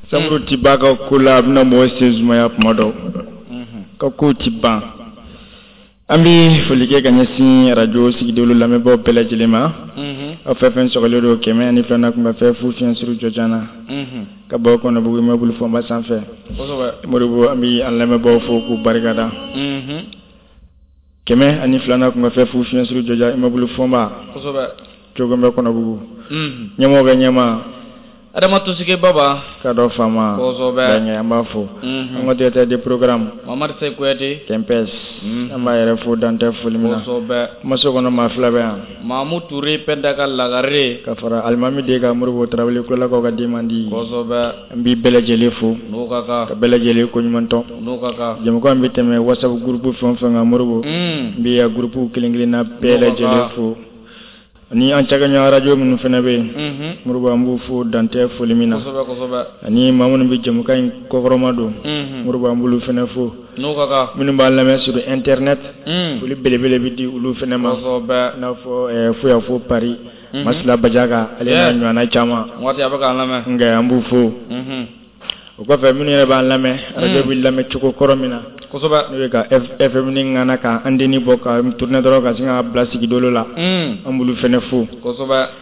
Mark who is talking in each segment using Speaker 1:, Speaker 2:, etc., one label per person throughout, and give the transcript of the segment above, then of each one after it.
Speaker 1: Samuru ti ba ka ko la, a bɛna mɔgɔ sen sumaya kuma dɔ ka kow ti ban. An bɛ foli kɛ ka ɲɛsin arajo Sigidolo lamɛnbaaw bɛɛ lajɛlen ma. Aw fɛn fɛn sɔgɔlen don 102 kun bɛ fɛn fu fiɲɛ suru jɔjan na ka bɔ Kɔnɔbugu immeuble Fɔnba sanfɛ. Moribo, an bɛ an lamɛnbaaw fo k'u barikada. 102 kun bɛ fɛn fu fiɲɛ suru jɔjan immeuble Fɔnba. Cogo bɛ Kɔnɔbugu. Ɲɛmɔgɔ bɛ ɲɛma.
Speaker 2: Adama Tosike Baba.
Speaker 1: Ka dɔ faama. An b'a fo. An ka directeur de programme.
Speaker 2: Mamadu Seyi Kuyate.
Speaker 1: Kɛnpɛs. An b'a yɛrɛ fo dantɛ foli min na. Kumaso kɔnɔ maa fila bɛ yan.
Speaker 2: Mamu Ture Pɛnda ka lagare.
Speaker 1: Ka fara Alimami den kan Moribo Tarawele Kulolakaw ka den man di. An bɛ bɛɛ lajɛlen fo.
Speaker 2: N'o ka kan.
Speaker 1: Ka bɛɛ lajɛlen koɲuman dɔn.
Speaker 2: N'o ka kan.
Speaker 1: Jɛmukan bɛ tɛmɛ WhatsApp groupe fɛn o fɛn kan Moribo. N bɛ a groupe kelen kelenna bɛɛ lajɛlen fo. Ani an cakɛɲɔgɔn arajo minnu fana bɛ yen, Moribo, an b'u fo dantɛ foli min na, ani maa minnu bɛ jɛmukan in kɔkɔrɔma don, Moribo, an b'olu fana fo, minnu b'an lamɛn sur internet, foli belebele bɛ di olu fana ma, i n'a fɔ fo yan fo Paris, Masila Bajaga ale n'a ɲɔgɔnna caman, nka an b'u fo. O kɔfɛ minnu yɛrɛ b'an lamɛn arajo bɛ lamɛn cogo kɔrɔ min na, n'o ye ka FM ni ŋana ka antenne bɔ ka tourner dɔrɔn ka sin ka bila Sigidolo la, an b'olu fana fo,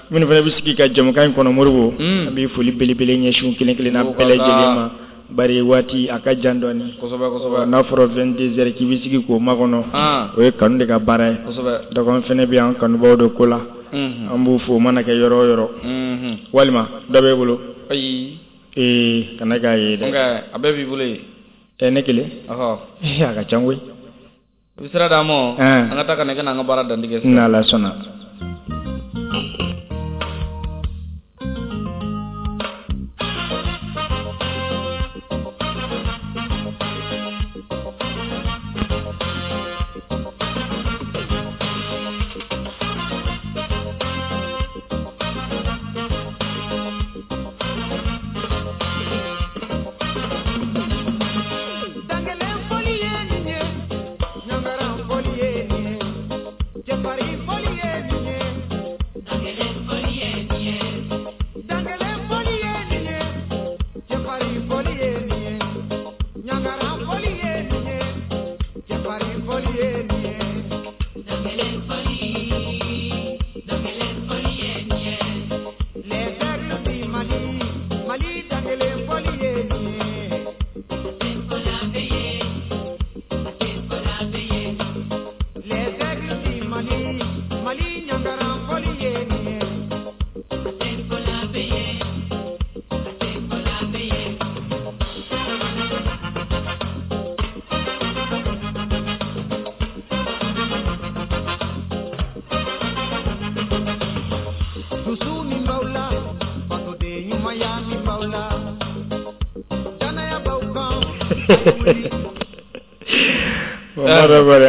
Speaker 1: minnu fana bɛ sigi ka jɛmukan in kɔnɔ Moribo, an bɛ foli belebele ɲɛsin kelen kelenna bɛɛ lajɛlen ma, bari waati a ka jan dɔɔnin, n'a fɔra 22 heures k'i bɛ sigi k'o makɔnɔ, o ye kanu de ka baara ye, donc an fana bɛ an kanubaaw de ko la, an b'u fo o mana kɛ yɔrɔ o yɔrɔ, walima dɔ b'e bolo?
Speaker 2: Ayi.
Speaker 1: Ee kana k'a ye dɛ.
Speaker 2: A bɛɛ b'i bolo yen.
Speaker 1: Ɛ ne kelen. A ka ca koyi.
Speaker 2: I bɛ sira d'an ma. An ka taa ka na i ka na an ka baara dantigɛ.
Speaker 1: N'Ala sɔnna.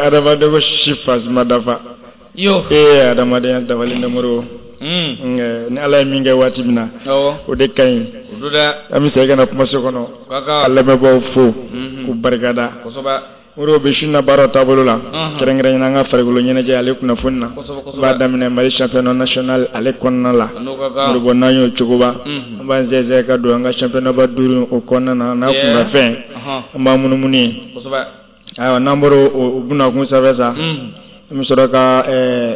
Speaker 1: Adamaden ko si fasi ma dafa.
Speaker 2: Yo.
Speaker 1: Ee adamadenya dafalen tɛ Moribo. Ni Ala ye min kɛ waati min na, o de ka ɲi. An bɛ segin ka na kumaso kɔnɔ ka lamɛnbaaw fo k'u barikada. Moribo, bi su in na baaraw taabolo la, kɛrɛnkɛrɛnnenya an ka farikolo ɲɛnajɛ ale kunnafoni na, an b'a daminɛ Mali championnat national ale kɔnɔna la. Moribo, n'an y'o cogoba, an b'an sɛnsɛn ka don an ka championnat ba duuru o kɔnɔna na, n'a kunkanfɛn, an b'an munumunu yen. Ayiwa, n'an bɔra o bunakun sanfɛ sa, an bɛ sɔrɔ ka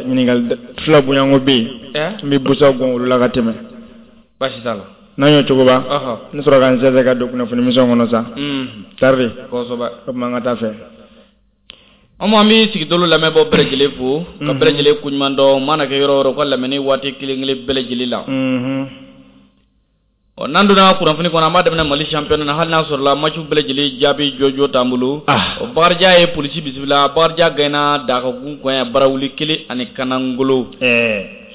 Speaker 1: ɲininkali fila bonyanko bɛ yen, n bɛ busa gɔn olu la ka tɛmɛ.
Speaker 2: Baasi t'a la.
Speaker 1: N'an y'o cogoba, n bɛ sɔrɔ ka n sɛnsɛn ka don kunnafoni misɛnw kɔnɔ sa. Tari.
Speaker 2: Kosɛbɛ.
Speaker 1: O tuma an ka taa fɛ.
Speaker 2: An bɛ Sigidolo lamɛnbaaw bɛɛ lajɛlen fo ka bɛɛ lajɛlen koɲuman dɔn mana kɛ yɔrɔ o yɔrɔ ka lamɛnni waati kelen kelen bɛɛ lajɛlen la. Ɔ n'an donna kunnafoni kɔnɔ, an b'a daminɛ Mali championnat na, hali n'a sɔrɔla match bɛɛ lajɛlen jaabi jɔjɔ t'an bolo. Bakarijan ye polisi bisimila, Bakarijan gagné Dakagun kɔɲɛ barawuli 1 ani kanangolo.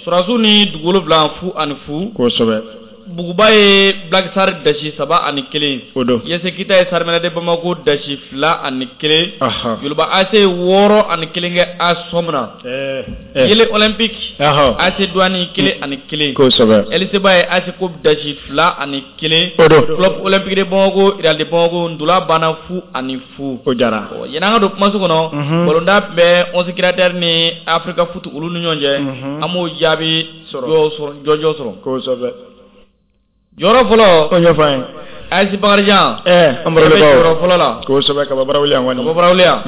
Speaker 2: Sɔrɔdasiw ni dugu wolonwula 0-0.
Speaker 1: Kosɛbɛ.
Speaker 2: Buguba ye Black Star dasi 3-1.
Speaker 1: O don.
Speaker 2: USC Kita ye Sarmɛnɛ de Bamako dasi 2-1. Joliba AC ye 6-1 kɛ AS Sɔmina. Yele Olympique. AC Douane 1-1.
Speaker 1: Kosɛbɛ.
Speaker 2: LCba ye AC Coupe dasi 2-1.
Speaker 1: O don.
Speaker 2: Club Olympique de Bamako, Real de Bamako, ntola banna 0-0.
Speaker 1: O diyara.
Speaker 2: Yanni an ka don kumaso kɔnɔ, balontan tun bɛ 11 créateurs ni Africa Foot olu ni ɲɔgɔn cɛ. An b'o jaabi jɔjɔ sɔrɔ.
Speaker 1: Kosɛbɛ.
Speaker 2: Jɔyɔrɔ fɔlɔ.
Speaker 1: O ɲɛfɔ an ye.
Speaker 2: AS Bakarijan.
Speaker 1: An barolekaw.
Speaker 2: Jɔyɔrɔ fɔlɔ la.
Speaker 1: Kosɛbɛ, ka bɔ Barawuli yan kɔni.
Speaker 2: Ka bɔ Barawuli yan.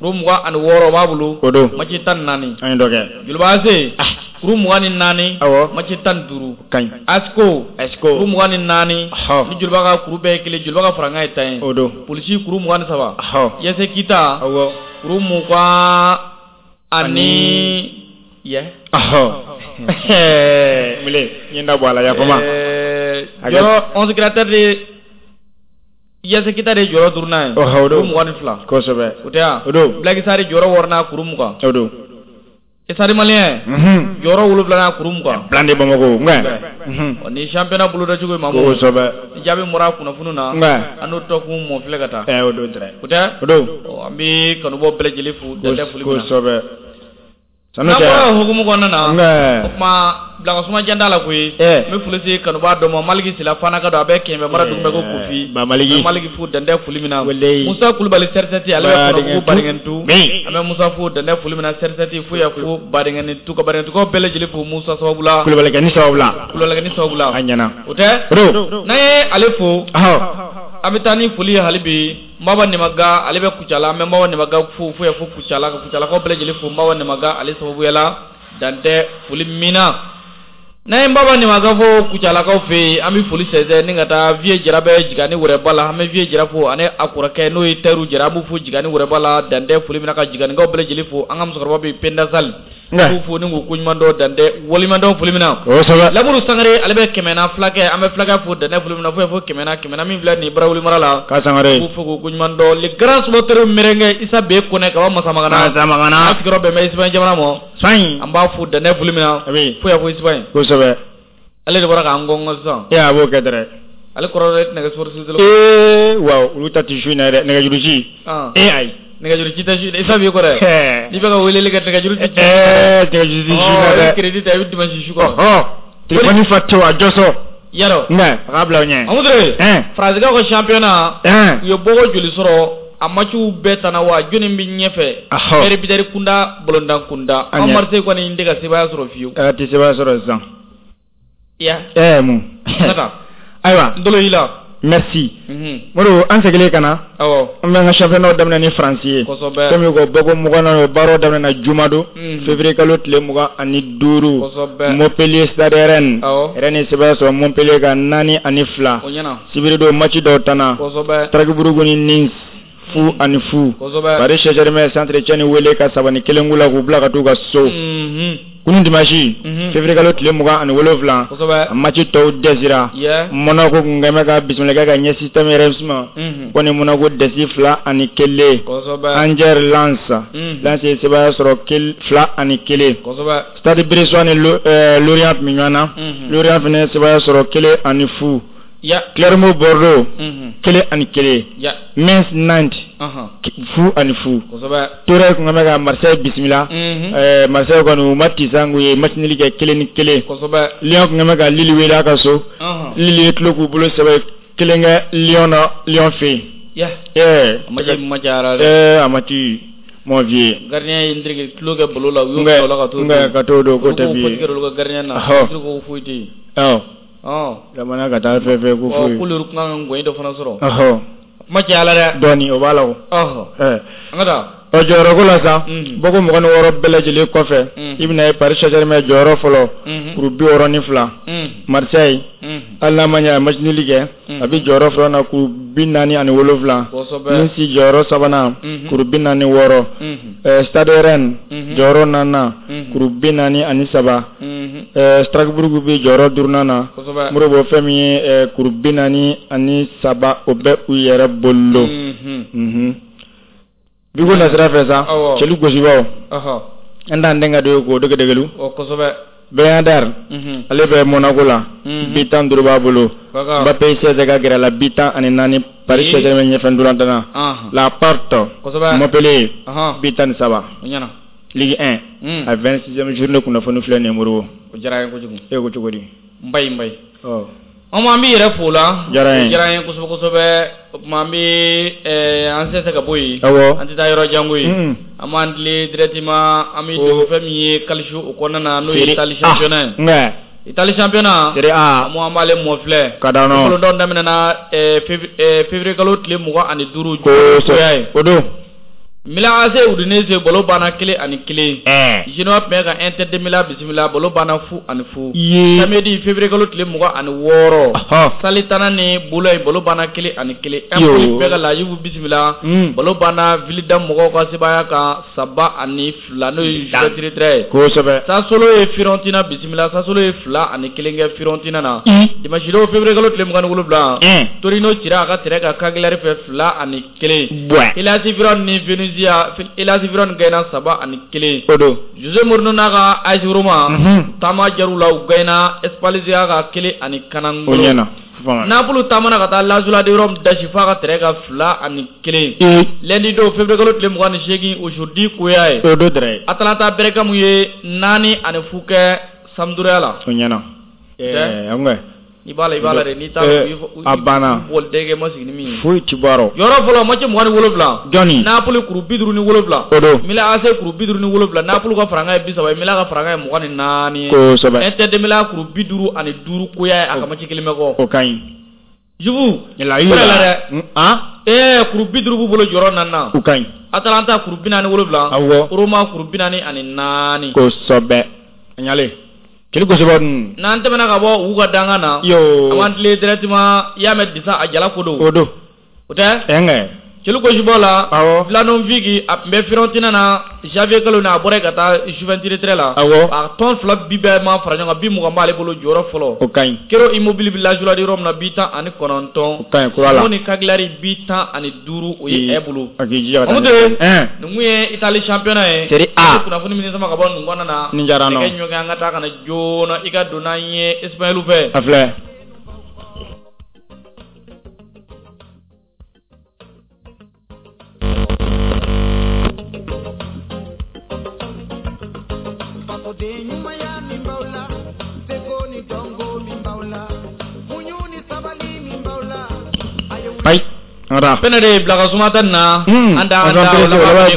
Speaker 2: Kuru 26 b'a bolo.
Speaker 1: O don.
Speaker 2: Match 14.
Speaker 1: An ye dɔ kɛ.
Speaker 2: Joliba AC. Kuru 24.
Speaker 1: Awɔ.
Speaker 2: Match 15.
Speaker 1: Ka ɲi.
Speaker 2: ASCO.
Speaker 1: ASCO.
Speaker 2: Kuru 24. Ni Joliba ka kuru bɛɛ ye kelen, Joliba ka farankan ye 10 ye.
Speaker 1: O don.
Speaker 2: Polisi kuru 23. US Kita.
Speaker 1: Awɔ.
Speaker 2: Kuru 20 ani. Yɛ.
Speaker 1: Mile, n ye n da bɔ a la, yafama.
Speaker 2: Jɔyɔrɔ 11 créateur de US Kita de ye jɔyɔrɔ duurunan ye.
Speaker 1: O don.
Speaker 2: Kuru 22.
Speaker 1: Kosɛbɛ.
Speaker 2: O tɛ wa?
Speaker 1: O don.
Speaker 2: Black Star jɔyɔrɔ wɔɔrɔnan kuru 20.
Speaker 1: O don.
Speaker 2: Stade Malien. Jɔyɔrɔ wolonwulanan kuru 20.
Speaker 1: Plan de Bamako.
Speaker 2: Nka. Ni championnat boloda cogo ye Mamu.
Speaker 1: Kosɛbɛ.
Speaker 2: Ni jaabi bɔra kunnafoni na.
Speaker 1: Nka.
Speaker 2: An n'o tɔkun mɔ filɛ ka taa.
Speaker 1: O don dɛrɛ.
Speaker 2: O tɛ?
Speaker 1: O don.
Speaker 2: An bɛ kanubɔ bɛɛ lajɛlen fo dantɛ foli min na.
Speaker 1: Kosɛbɛ.
Speaker 2: N'an bɔra o hukumu kɔnɔna na. O tuma bilakasuma jan t'a la koyi. N bɛ foli se kanubaa dɔ ma Maliki Sila Fana ka don a bɛ Kɛɲɛba mara dugu bɛ ko Kofi.
Speaker 1: Ba Maliki.
Speaker 2: N bɛ Maliki fo dantɛ foli min na. Musa Kulubali CR7 ale bɛ Kɔnɔbugu Badingɛntu. An bɛ Musa fo dantɛ foli min na CR7 fo yan fo Badingɛntu ka Badingɛntukaw bɛɛ lajɛlen fo Musa sababu la.
Speaker 1: Kulubalikɛ ni sababu la.
Speaker 2: Kulubalikɛ ni sababu la.
Speaker 1: A ɲɛna.
Speaker 2: O tɛ?
Speaker 1: O don.
Speaker 2: N'an ye ale fo. An bɛ taa ni foli ye hali bi Maba Nemaga ale bɛ Kucala, an bɛ Maba Nemaga fo fo yan fo Kucala, ka Kucalakaw bɛɛ lajɛlen fo Maba Nemaga ale sababuya la dantɛ foli min na. N'an ye Maba Nemaga fo Kucalakaw fɛ yen, an bɛ foli sɛnsɛn ni ka taa Vieux Jara bɛ Jigani Wɛrɛba la, an bɛ Vieux Jara fo ani a kɔrɔkɛ n'o ye Tayiru Jara, an b'u fo Jigani Wɛrɛba la dantɛ foli min na, ka Jiganikaw bɛɛ lajɛlen fo, an ka musokɔrɔba bɛ Penda Sali. K'u fo ni k'u koɲuman dɔn dantɛ waleɲuman dɔn foli min na.
Speaker 1: Kosɛbɛ.
Speaker 2: Lamuru Sangare ale bɛ Kɛmɛna fulakɛ, an bɛ fulakɛ fo dantɛ foli min na fo yan fo Kɛmɛna, Kɛmɛna min filɛ nin ye Barawuli mara la.
Speaker 1: Ka Sangare.
Speaker 2: K'u fo k'u koɲuman dɔn le grand supporter merengue Isa B Kɔnɛ ka bɔ Masamagana.
Speaker 1: Masamagana.
Speaker 2: A sigiyɔrɔ bɛn bɛ Espagne jamana ma.
Speaker 1: Espagne.
Speaker 2: An b'a fo dantɛ foli min na. Fo yan fo Espagne.
Speaker 1: Kosɛbɛ.
Speaker 2: Ale de bɔra k'an gɔngɔn sisan.
Speaker 1: A b'o kɛ dɛrɛ.
Speaker 2: Ale kɔrɔ dɛ tɛna kɛ sport.
Speaker 1: Waaw, olu ta tɛ su in na dɛ, nɛgɛjuru ci. Ayi.
Speaker 2: Nɛgɛjuru ci tɛ su Isa b'i kɔrɔ. N'i bɛ ka weleli kɛ nɛgɛjuru ci.
Speaker 1: Nɛgɛjuru ci su in na dɛ.
Speaker 2: I bɛ crédit ta i bɛ dimanche su kɔrɔ.
Speaker 1: Téléphone fa tewu a jɔsɔ.
Speaker 2: Yarɔ.
Speaker 1: Nka a k'a bila o ɲɛ.
Speaker 2: Amu Ture. Faransikaw ka championnat. U ye bɔko joli sɔrɔ a matchw bɛɛ tana wa jɔnni bɛ ɲɛfɛ. Ɛri bitɛri kunda balontan kunda. An Marseille kɔni tɛ ka sebaaya sɔrɔ fiyewu.
Speaker 1: A tɛ sebaaya sɔrɔ sisan.
Speaker 2: Ya.
Speaker 1: Mun. Ayiwa.
Speaker 2: N tolo y'i la.
Speaker 1: Merci. Modibo, an seginnen ka na.
Speaker 2: Awɔ.
Speaker 1: An bɛ an ka championnat daminɛ ni Faransi ye.
Speaker 2: Kosɛbɛ.
Speaker 1: Fɛn min ko bɔko 20 o baaraw daminɛna jumadon. Février kalo tile 25.
Speaker 2: Kosɛbɛ.
Speaker 1: Montpellier Stade Rennes.
Speaker 2: Awɔ.
Speaker 1: Rennes ye sebaaya sɔrɔ Montpellier kan 4-2.
Speaker 2: O ɲɛna.
Speaker 1: Sibiridon match dɔw tanna.
Speaker 2: Kosɛbɛ.
Speaker 1: Strasbourg ni Nice 0-0.
Speaker 2: Kosɛbɛ.
Speaker 1: Paris Saint-Germain Saint-Etienne wele ka 3-1 k'u la k'u bila ka t'u ka so. Kunun dimanche. Février kalo tile 27.
Speaker 2: Kosɛbɛ.
Speaker 1: A match tɔw dɛsɛra. Monaco kun kɛn bɛ ka bisimila kɛ ka ɲɛsin Stade Reims ma. Ko ni Monaco dɛsɛ 2-1.
Speaker 2: Kosɛbɛ.
Speaker 1: Angers Lens. Lens ye sebaaya sɔrɔ 2-1.
Speaker 2: Kosɛbɛ.
Speaker 1: Stade Brestois ni Lorient tun bɛ ɲɔgɔn na. Lorient fana ye sebaaya sɔrɔ 1-0. Clermont Bordeaux 1-1. Metz Nantes 0-0.
Speaker 2: Kosɛbɛ.
Speaker 1: Toure kun bɛ ka Marseille bisimila. Marseille kɔni u ma tisan u ye match nul kɛ 1-1.
Speaker 2: Kosɛbɛ.
Speaker 1: Lyon kun bɛ ka Lille wele a ka so. Lille ye tulo k'u bolo sɛbɛ 1 kɛ Lyon na Lyon fɛ
Speaker 2: yen.
Speaker 1: A
Speaker 2: ma cayara dɛ.
Speaker 1: A ma ci mon vieux.
Speaker 2: Gardien ye n tulo kɛ balo la u y'o bila o la ka t'o
Speaker 1: don. Ka t'o don k'o tɛ bi
Speaker 2: ye. Olu ka gardien na. Ko foyi tɛ yen.
Speaker 1: Awɔ. Jamana ka taa fɛn fɛn ko foyi.
Speaker 2: K'olu kun kan ka ngɔyi dɔ fana sɔrɔ. Ma caya la dɛ.
Speaker 1: Dɔɔni o b'a la o.
Speaker 2: An ka taa.
Speaker 1: Ɔ jɔyɔrɔko la sa. Bɔko 26 bɛɛ lajɛlen kɔfɛ. I bɛna ye Paris Saint-Germain jɔyɔrɔ fɔlɔ. Kuru 62. Marseille. Hali n'a ma ɲɛ a ye match nul kɛ. A bɛ jɔyɔrɔ filanan na kuru 47.
Speaker 2: Kosɛbɛ.
Speaker 1: Nice jɔyɔrɔ sabanan. Kuru 46. Stade Rennes. Jɔyɔrɔ naaninan. Kuru 43. Strasbourg bɛ jɔyɔrɔ duurunan na.
Speaker 2: Kosɛbɛ.
Speaker 1: Modibo fɛn min ye kuru 43 o bɛ u yɛrɛ bolo. Biko nasira fɛ sa. Cɛlu gosibaw. An t'an denkɛ dɔ ye k'o degedegelu.
Speaker 2: Kosɛbɛ.
Speaker 1: Bernard ale bɛ Monaco la. Bi 15 b'a bolo. Mbappé 16 ka gɛrɛ la bi 14 Paris Saint-Germain ɲɛfɛ ntolantan na. La Porte. Montpellier bi 13. Ligue 1 a 26e journée kunnafoni filɛ nin ye Modibo.
Speaker 2: O diyara n ye kojugu.
Speaker 1: E ko cogo di?
Speaker 2: N ba ye. An b'i yɛrɛ fo la.
Speaker 1: Diyara n ye.
Speaker 2: O diyara n ye kosɛbɛ kosɛbɛ. O tuma an bɛ an sɛnsɛn ka bɔ yen.
Speaker 1: Awɔ.
Speaker 2: An tɛ taa yɔrɔ jan koyi. An b'an tilen directement an bɛ don fɛn min ye qualif o kɔnɔna na n'o ye Italie championnat ye.
Speaker 1: Nka.
Speaker 2: Italie championnat
Speaker 1: Serie A
Speaker 2: an b'ale mɔ filɛ
Speaker 1: ka da nɔ
Speaker 2: kolondɔn daminɛna février kalo tile 25
Speaker 1: kosɛbɛ o don
Speaker 2: Milan AC Udinese balo banna 1-1. Genoa tun bɛ ka Inter de Milan bisimila balo banna 0-0. Samedi février kalo tile 26. Salernitana ni Bologne balo banna 1-1. Empoli tun bɛ ka La Juve bisimila balo banna Vildan mɔgɔw ka sebaaya kan 3-2 n'o ye Juventus ye.
Speaker 1: Kosɛbɛ.
Speaker 2: Sassuolo ye Fiorentina bisimila Sassuolo ye 2-1 kɛ Fiorentina na. Dimanche don février kalo tile 27. Torino cira a ka terrain kan Cagliari fɛ 2-1. Hellas Verona ni Venezia Hellas Verona gagné 3-1.
Speaker 1: O don.
Speaker 2: Jose Mourinho n'a ka AS Roma taama jar'u la u gagné Spezia kan 1-0.
Speaker 1: O ɲɛna.
Speaker 2: Napoli taamana ka taa Lazio de Rome dasi f'a ka terrain kan 2-1. Lundi don février kalo tile 28 aujourd'hui koya ye.
Speaker 1: O don dɛrɛ.
Speaker 2: Atalanta Bergame ye 4-0 kɛ Sampdoria la.
Speaker 1: O ɲɛna. Ɛɛ
Speaker 2: I b'a la i b'a la dɛ n'i t'a
Speaker 1: a banna
Speaker 2: bɔlidɛgɛ ma sigi ni min ye
Speaker 1: foyi ti bɔ a rɔ
Speaker 2: yɔrɔ fɔlɔ match 27
Speaker 1: jɔnni
Speaker 2: Napoli kuru 57
Speaker 1: o don
Speaker 2: Milan AC kuru 57 Napoli ka farankan ye 30 ye Milan ka farankan ye 24 ye
Speaker 1: kosɛbɛ
Speaker 2: Inter de Milan kuru 55 koya ye a ka match kelen bɛ kɔ
Speaker 1: o ka ɲi
Speaker 2: Juve
Speaker 1: la dɛ
Speaker 2: an kuru 50 b'u bolo jɔyɔrɔ naaninan
Speaker 1: o ka ɲi
Speaker 2: Atalanta kuru 47
Speaker 1: awɔ
Speaker 2: Roma kuru 44
Speaker 1: kosɛbɛ a ɲalen Kili kosɛbɛ dun.
Speaker 2: N'an tɛmɛna ka bɔ u ka dankan na.
Speaker 1: Yoo.
Speaker 2: An b'an tilen directement i y'a mɛn Disa a jala ko don.
Speaker 1: O don.
Speaker 2: O tɛ.
Speaker 1: Ɛnkɛ.
Speaker 2: Celu Kosibɔ la.
Speaker 1: Awɔ.
Speaker 2: Vlahovic a tun bɛ Fiorentina na janvier kalo in na a bɔra yen ka taa Juventus retraite la.
Speaker 1: Awɔ.
Speaker 2: A tɔn fila bi bɛɛ ma fara ɲɔgɔn kan bi 20 b'ale bolo jɔyɔrɔ fɔlɔ.
Speaker 1: O ka ɲi.
Speaker 2: Kero Immobile bɛ Lazio de yɔrɔ min na bi 19.
Speaker 1: O ka ɲi kura la.
Speaker 2: Simone Cagliari bi 15 o ye ɛ bolo.
Speaker 1: A k'i jija ka taa.
Speaker 2: Mamudu. Nin kun ye Italie championnat ye.
Speaker 1: Serie A.
Speaker 2: Kunnafoni min sama ka bɔ nin kɔnɔna na.
Speaker 1: Nin diyara n na.
Speaker 2: Nɛgɛ ɲɔgɔn an ka taa ka na joona i ka don n'an ye Espagne fɛ.
Speaker 1: A filɛ. Ayi.
Speaker 2: Fɛnɛ de bila ka suma ta na an da an da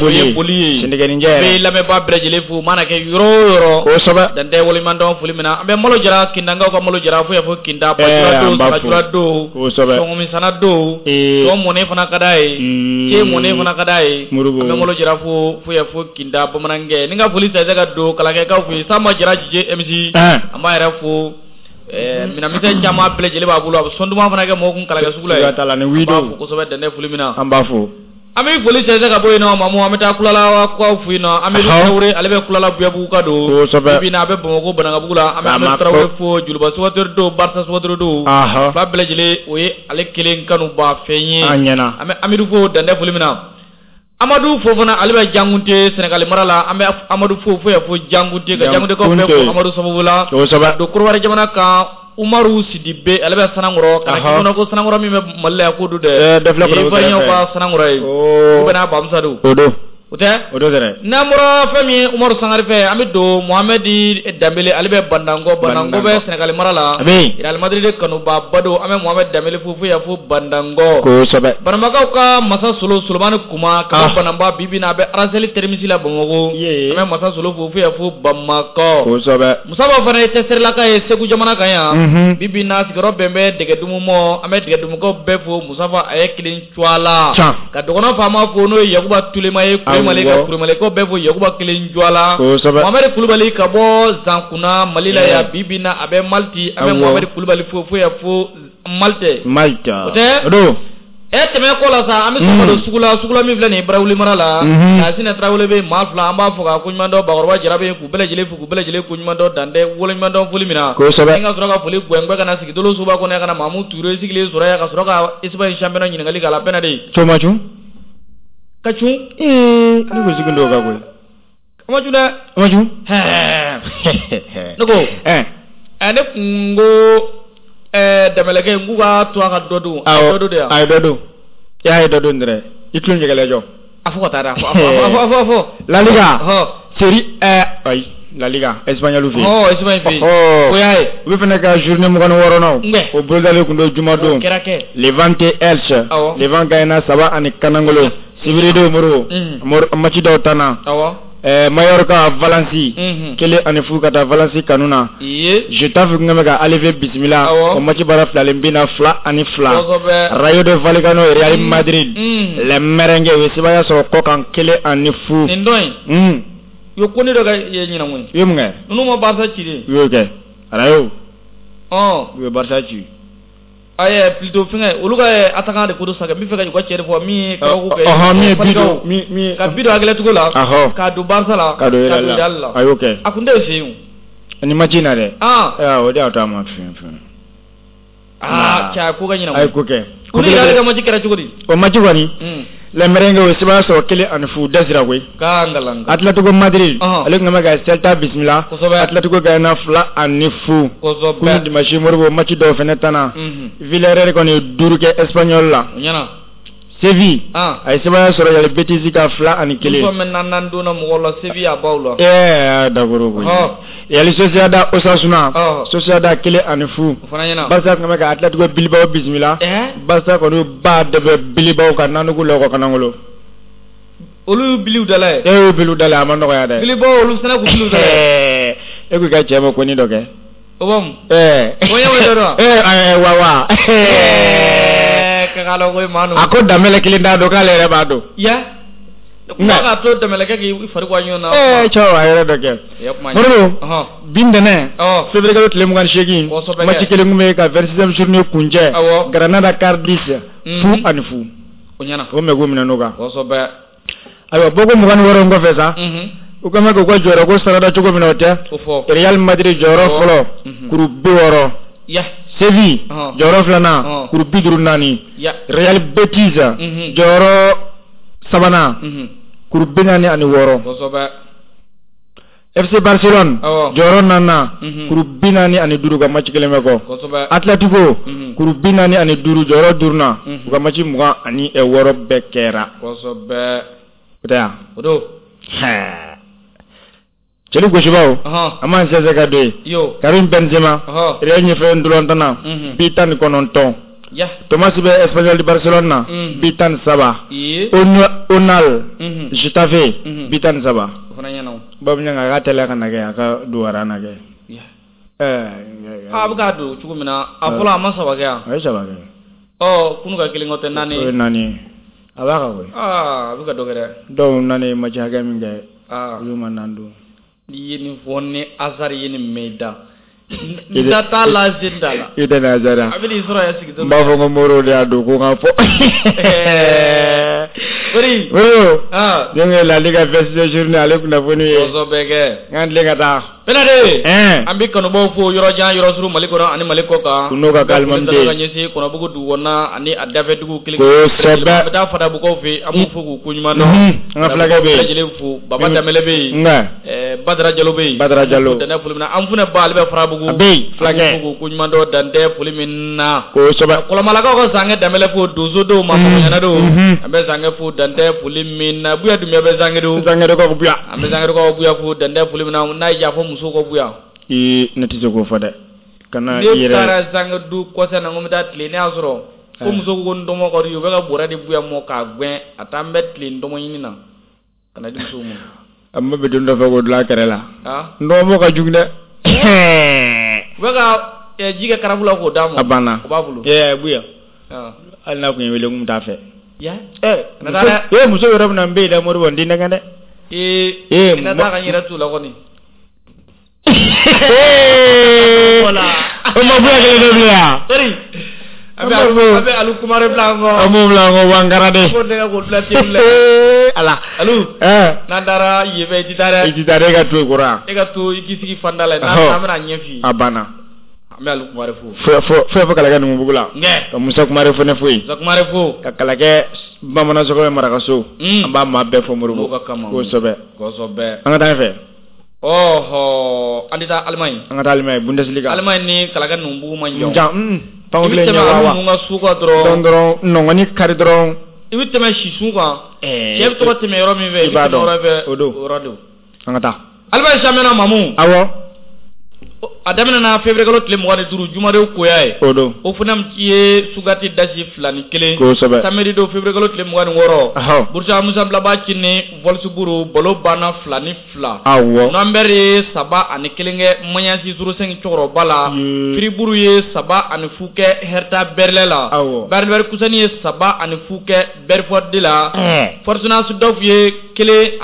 Speaker 2: o ye boli ye
Speaker 1: sɛnɛkɛninjɛ
Speaker 2: bɛ lamɛnbaa bɛɛ lajɛlen fo mana kɛ yɔrɔ o yɔrɔ
Speaker 1: kosɛbɛ
Speaker 2: dan tɛ waleɲumandɔn foli min na an bɛ malo jara kindankaw ka malo jara fo yan fo kinda bajura don sagajura don
Speaker 1: kosɛbɛ
Speaker 2: sɔngɔmisana don tɔ mɔnen fana ka d'a ye ce mɔnen fana ka d'a ye an bɛ malo jara fo fo yan fo kinda bamanankɛ ni ka foli sɛsɛ ka don kalankɛkaw fo yen Samba Jara Jije MC an b'a yɛrɛ fo minɛnmisɛn caman bɛɛ lajɛlen b'a bolo a bɛ sɔn duman fana kɛ mɔgɔw kun kalankɛ sugu la yen
Speaker 1: la ni wido
Speaker 2: an b'a fo kosɛbɛ dantɛ foli min na
Speaker 1: an b'a fo
Speaker 2: an bɛ foli sɛnsɛn ka bɔ yen nɔ Mamu an bɛ taa Kulalakaw fo yen nɔ Amadu Tarawele ale bɛ Kulala Buyabugu ka don
Speaker 1: kosɛbɛ
Speaker 2: bi a bɛ Bamakɔ Banankabugu la an bɛ Amadu Tarawele fo Joliba supporteur don Barca supporteur don fila bɛɛ lajɛlen o ye ale kelen kanuba fɛn ye
Speaker 1: an ɲɛna
Speaker 2: an bɛ Amadu fo dantɛ foli min na Amadu Fofana ale bɛ Jankunte Senegali mara la an bɛ Amadu fo fo yan fo Jankunte ka Jankuntekaw bɛɛ fo Amadu sababu la
Speaker 1: kosɛbɛ
Speaker 2: don Korowari jamana kan Umaru Sidibe ale bɛ Sanankɔrɔ ka na k'i ko Sanankɔrɔ min bɛ Mali la yan k'o don dɛ Ivoirien ka Sanankɔrɔ ye u bɛ n'a Bamusa don
Speaker 1: o don
Speaker 2: o tɛ
Speaker 1: o don dɛrɛ
Speaker 2: n'an bɔra fɛn min ye Umaru Sangare fɛ an bɛ don Mohamɛdi Danbele ale bɛ Bandankɔ Bandankɔ bɛ Senegali mara la Real Madrid kanubaaba don an bɛ Mohamɛdi Danbele fo fo yan fo Bandankɔ
Speaker 1: kosɛbɛ
Speaker 2: Banambakaw ka Masa Solo Solomani Kuma ka bɔ Banamba bi bi in na a bɛ Araseli Terimisi la Bamakɔ an bɛ Masa Solo fo fo yan fo Bamakɔ
Speaker 1: kosɛbɛ
Speaker 2: Musaba fana ye tɛsɛrilaka ye Segu jamana kan yan bi bi in na sigiyɔrɔ bɛn bɛ Dɛgɛdumu ma an bɛ Dɛgɛdumukaw bɛɛ fo Musafa a ye kelen cuwa la ka dɔgɔnɔ faama fo n'o ye Yakuba Tulema ye Kuremale ka Kuremalekaw bɛɛ fo Yakuba kelen cuwa la Mohamɛdi Kulubali ka bɔ Zankunna Mali la yan bi bi in na a bɛ Maliti an bɛ Mohamɛdi Kulubali fo fo yan fo Malte
Speaker 1: Malta
Speaker 2: o tɛ
Speaker 1: o don
Speaker 2: tɛmɛ kɔ la sa an bɛ sɔrɔ don sugu la sugu la min filɛ nin ye Barawuli mara la Kasine Tarawele bɛ maa fila an b'a fɔ ka koɲuman dɔn Bakɔrɔba Jara bɛ yen k'u bɛɛ lajɛlen fo k'u bɛɛ lajɛlen koɲuman dɔn dan tɛ waleɲuman dɔn foli min na
Speaker 1: kosɛbɛ
Speaker 2: ni ka sɔrɔ ka foli gɛngbɛ ka na sigi dolo soba kɔnɔ yan ka na Mamu Ture sigilen sɔrɔ yan ka sɔrɔ ka Espagne championnat ɲininkali k'a la bɛɛ na de
Speaker 1: Cɔma cun
Speaker 2: ka cun
Speaker 1: ne ko sigi dɔw ka koyi
Speaker 2: a ma cun dɛ
Speaker 1: a ma cun
Speaker 2: ne ko ne kun ko Dɛmɛlɛkɛ n k'u ka to a ka dɔ dun a ye dɔ dun de yan
Speaker 1: a ye dɔ dun i y'a ye dɔ dun dɛrɛ i tulo ɲɛgɛlɛ jɔ
Speaker 2: a fɔ ka taa dɛ a fɔ a fɔ
Speaker 1: La Liga Serie ayi La Liga Espagnol fɛ yen
Speaker 2: Espagne fɛ yen o y'a ye
Speaker 1: olu fana ka journée 26nan o bolodalen tun don jumadon
Speaker 2: o kɛra kɛ
Speaker 1: Levante Elche Levante gagné 3 ani kanangolo sibiri don Moribo match dɔw tan na Mallorca Valence 1-0 ka taa Valence kanu na. Getafe kun bɛ ka Aleve bisimila o match baara filalen bin na 2-2. Rayo de Vallecano Real Madrid les merengues u ye sebaaya sɔrɔ kɔkan 1-0.
Speaker 2: Nin dɔn in. U ye ko ne dɔ kɛ ɲinan koyi.
Speaker 1: U ye mun kɛ?
Speaker 2: Ninnu ma Barca ci de.
Speaker 1: U y'o kɛ Rayo. U ye Barca ci.
Speaker 2: Ayi plutôt fɛngɛ olu ka attaquant de ko dɔ sa n bɛ fɛ ka u ka cɛ de fɔ min ye kabako kɛ.
Speaker 1: Min ye but don min
Speaker 2: ka but don Atletico la. K'a don Barca la.
Speaker 1: K'a don Real la a y'o kɛ.
Speaker 2: A kun tɛ fɛ yen.
Speaker 1: Ni match in na dɛ. O de y'a to a ma fɛn fɛn.
Speaker 2: Cɛ a ko kɛ ɲinan.
Speaker 1: A ye ko kɛ.
Speaker 2: Ko ni Real ka match kɛra cogo di?
Speaker 1: O match kɔni. Les merengues o sebaaya sɔrɔ 1-0 dasira koyi. Atletico Madrid ale tun bɛ ka Celta bisimila. Atletico gagné 2-0. Kunu dimanche Moribo match dɔw fana tanna. Villarreal kɔni ye 5 kɛ Espanyol la. Séville a ye sebaaya sɔrɔ Real Betis ka 2-1.
Speaker 2: Muso min naani donna mɔgɔw la Séville a b'aw la.
Speaker 1: D'accord koyi. Real Sociedad Osasuna. Sociedad 1-0. Barca tun bɛ ka Atletico Bilbao bisimila. Barca kɔni ba de bɛ Bilbao kan nanugu lɔgɔ kanangolo.
Speaker 2: Olu y'u biliw dala ye.
Speaker 1: E y'u biliw dala ye a ma nɔgɔya dɛ.
Speaker 2: Bilbao olu fana k'u biliw dala
Speaker 1: ye. E ko i ka cɛ ma ko ni dɔ kɛ.
Speaker 2: O b'a mun. O ɲɛ dɔ wa.
Speaker 1: Wa wa. A ko Danbɛlɛ kelen t'a dɔn k'ale yɛrɛ b'a dɔn.
Speaker 2: Ya. Kuma k'a to Danbɛlɛ kɛ k'i fari bɔ ɲɔgɔn na.
Speaker 1: Cɛw a yɛrɛ dɔ kɛ. Moribo bi ntɛnɛn février kalo tile 28 match kelen tun bɛ ka 26e journée kuncɛ. Granada Cardiff 0-0.
Speaker 2: O ɲɛna.
Speaker 1: O mɛn k'u minɛ n'o kan.
Speaker 2: Kosɛbɛ.
Speaker 1: Ayiwa bɔko 26 kɔfɛ sa. U ka k'u ka jɔyɔrɔ ko sarada cogo min na o tɛ. Real Madrid jɔyɔrɔ fɔlɔ kuru 60. Séville jɔyɔrɔ filanan kuru 54. Real Betis jɔyɔrɔ sabanan kuru 46. FC Barcelone jɔyɔrɔ naaninan kuru 45 ka match kelen bɛ kɔ. Atletico kuru 45 jɔyɔrɔ duurunan u ka match 26 bɛɛ kɛra.
Speaker 2: O
Speaker 1: tɛ yan.
Speaker 2: O don.
Speaker 1: Cɛli gosibaw an b'an sɛnsɛn ka don yen. Karim Benzema Real ɲɛfɛ ntolantanna bi 19. Thomas bɛ Espanyol de Barcelone na bi 13. Onal Getafe bi 13. Babu a ka teliya ka na kɛ a ka don wara na kɛ.
Speaker 2: A bɛ k'a don cogo min na a fɔlɔ a ma 3 kɛ yan.
Speaker 1: A ye 3 kɛ.
Speaker 2: Kunu ka kelen kɔ tɛ 4 ye.
Speaker 1: O ye 4 ye. A b'a kan koyi.
Speaker 2: A bɛ ka dɔ kɛ dɛ.
Speaker 1: Dɔw 4 ye match hakɛ min kɛ. Olu ma 4 don.
Speaker 2: N'i ye nin fɔ ni Hazard ye nin mɛn i da. N da t'a la sen t'a la.
Speaker 1: I tɛ na Hazard
Speaker 2: a bɛ n'i sɔrɔ yan sigi.
Speaker 1: N b'a fɔ ko Moribo de y'a don ko n ka fɔ.
Speaker 2: Ori.
Speaker 1: Moribo. Ne ye La Liga 26e journée ale kunnafoni ye.
Speaker 2: Kosɛbɛ kɛ.
Speaker 1: N k'an tilen ka taa.
Speaker 2: Penade. An bɛ kanubaw fo yɔrɔ jan yɔrɔ surun Mali kɔnɔ ani Mali kɔ kan.
Speaker 1: N'o ka k'alimami
Speaker 2: den. Ka ɲɛsin Kɔnɔbugu dugu kɔnɔna ani a dafɛ dugu kelen.
Speaker 1: Kosɛbɛ.
Speaker 2: An bɛ taa Fadabugukaw fɛ an b'u fo k'u ko ɲuman dɔn.
Speaker 1: An ka fulakɛ bɛ yen.
Speaker 2: Bɛɛ lajɛlen fo Baba Danbɛlɛ bɛ yen.
Speaker 1: Nka.
Speaker 2: Badara Jalo bɛ yen.
Speaker 1: Badara Jalo.
Speaker 2: Dantɛ foli min na an funɛ ba ale bɛ Farabugu.
Speaker 1: A bɛ yen fulakɛ.
Speaker 2: An b'u fo k'u ko ɲuman dɔn dantɛ foli min na.
Speaker 1: Kosɛbɛ.
Speaker 2: Kɔlɔmalakaw ka Zankɛ Danbɛlɛ fo donsodenw ma ɲɛna don. An bɛ Zankɛ fo dantɛ foli min na. Buya Dunbiya bɛ Zankedo.
Speaker 1: Zankedokaw Buya.
Speaker 2: An bɛ Zankedokaw Buya fo dantɛ foli min na n'a y'i diya fɔ musow ka Buya.
Speaker 1: Ne tɛ se k'o fɔ dɛ. Kana i yɛrɛ.
Speaker 2: Ne taara Zankedo kɔsa in na ko n bɛ taa tilen ne y'a sɔrɔ. Ko muso ko n dɔmɔ ka di u bɛ ka bɔrɛ di Buya mɔ k'a gɛn a taa n bɛ tilen dɔmɔ ɲini na ka na di musow ma.
Speaker 1: A ma bɛ don dɔ fɛ k'o dilan a kɛrɛ la. N dɔgɔmɔ ka jugu dɛ.
Speaker 2: U bɛ ka ji kɛ karafu la k'o d'a ma.
Speaker 1: A banna.
Speaker 2: O b'a bolo.
Speaker 1: Buya. Hali n'a tun ye wele n tun t'a fɛ. Muso yɛrɛ bɛna n bɛ yen dɛ Moribo n t'i nɛgɛn dɛ.
Speaker 2: Na taa ka n yɛrɛ t'u la kɔni.
Speaker 1: O ma Buya kelen dɔ bilen wa.
Speaker 2: An bɛ Alu Kumare bila an kɔ.
Speaker 1: An b'o bila an kɔ Wankara de.
Speaker 2: Ko nɛgɛ k'o bila tewu la.
Speaker 1: Ala.
Speaker 2: Alu. N'an taara yen fɛ i tɛ taa dɛ.
Speaker 1: I tɛ taa dɛ e ka to yen kɔrɔ yan.
Speaker 2: E ka to i k'i sigi fanda la n'an bɛna ɲɛ f'i ye.
Speaker 1: A banna.
Speaker 2: An bɛ Alu Kumare fo.
Speaker 1: Fo Kalakɛ Numubugu la. Ka Musa Kumare fana fo yen.
Speaker 2: Musa Kumare fo.
Speaker 1: Ka Kalakɛ Bamanan Sɔgɔmɛ Marakaso. An b'a maa bɛɛ fo Moribo.
Speaker 2: N'o ka kama.
Speaker 1: Kosɛbɛ.
Speaker 2: Kosɛbɛ.
Speaker 1: An ka taa ɲɛfɛ.
Speaker 2: An tɛ taa Allemagne.
Speaker 1: An ka taa Allemagne Bundesliga.
Speaker 2: Allemagne ni Kalakɛ Numubugu man jan.
Speaker 1: Jan.
Speaker 2: I bɛ tɛmɛ olu ninnu ka su kan dɔrɔn.
Speaker 1: Dɔrɔn nɔngɔnni kari dɔrɔn.
Speaker 2: I bɛ tɛmɛ sisun kan. Cɛ bɛ to ka tɛmɛ yɔrɔ min fɛ.
Speaker 1: I b'a dɔn
Speaker 2: yɔrɔ fɛ
Speaker 1: o don.
Speaker 2: O yɔrɔ don.
Speaker 1: An ka taa.
Speaker 2: Allemagne championnat Mamu.
Speaker 1: Awɔ.
Speaker 2: A daminɛna février kalo tile 25 jumadenw koya ye.
Speaker 1: O don.
Speaker 2: O fana ye Sugati dasi 2-1.
Speaker 1: Kosɛbɛ.
Speaker 2: Samedi don février kalo tile 26. Borussia Mönchengladbach ni Wolfsburg balo banna 2-2.
Speaker 1: Awɔ.
Speaker 2: Nürnberg ye 3-1 kɛ Mayence 05 cɛkɔrɔba la. Fribourg ye 3-0 kɛ Hertha Berlin la.
Speaker 1: Awɔ.
Speaker 2: Bayer Leverkusen ye 3-0 kɛ Berford la. Fortuna Düsseldorf ye 1-1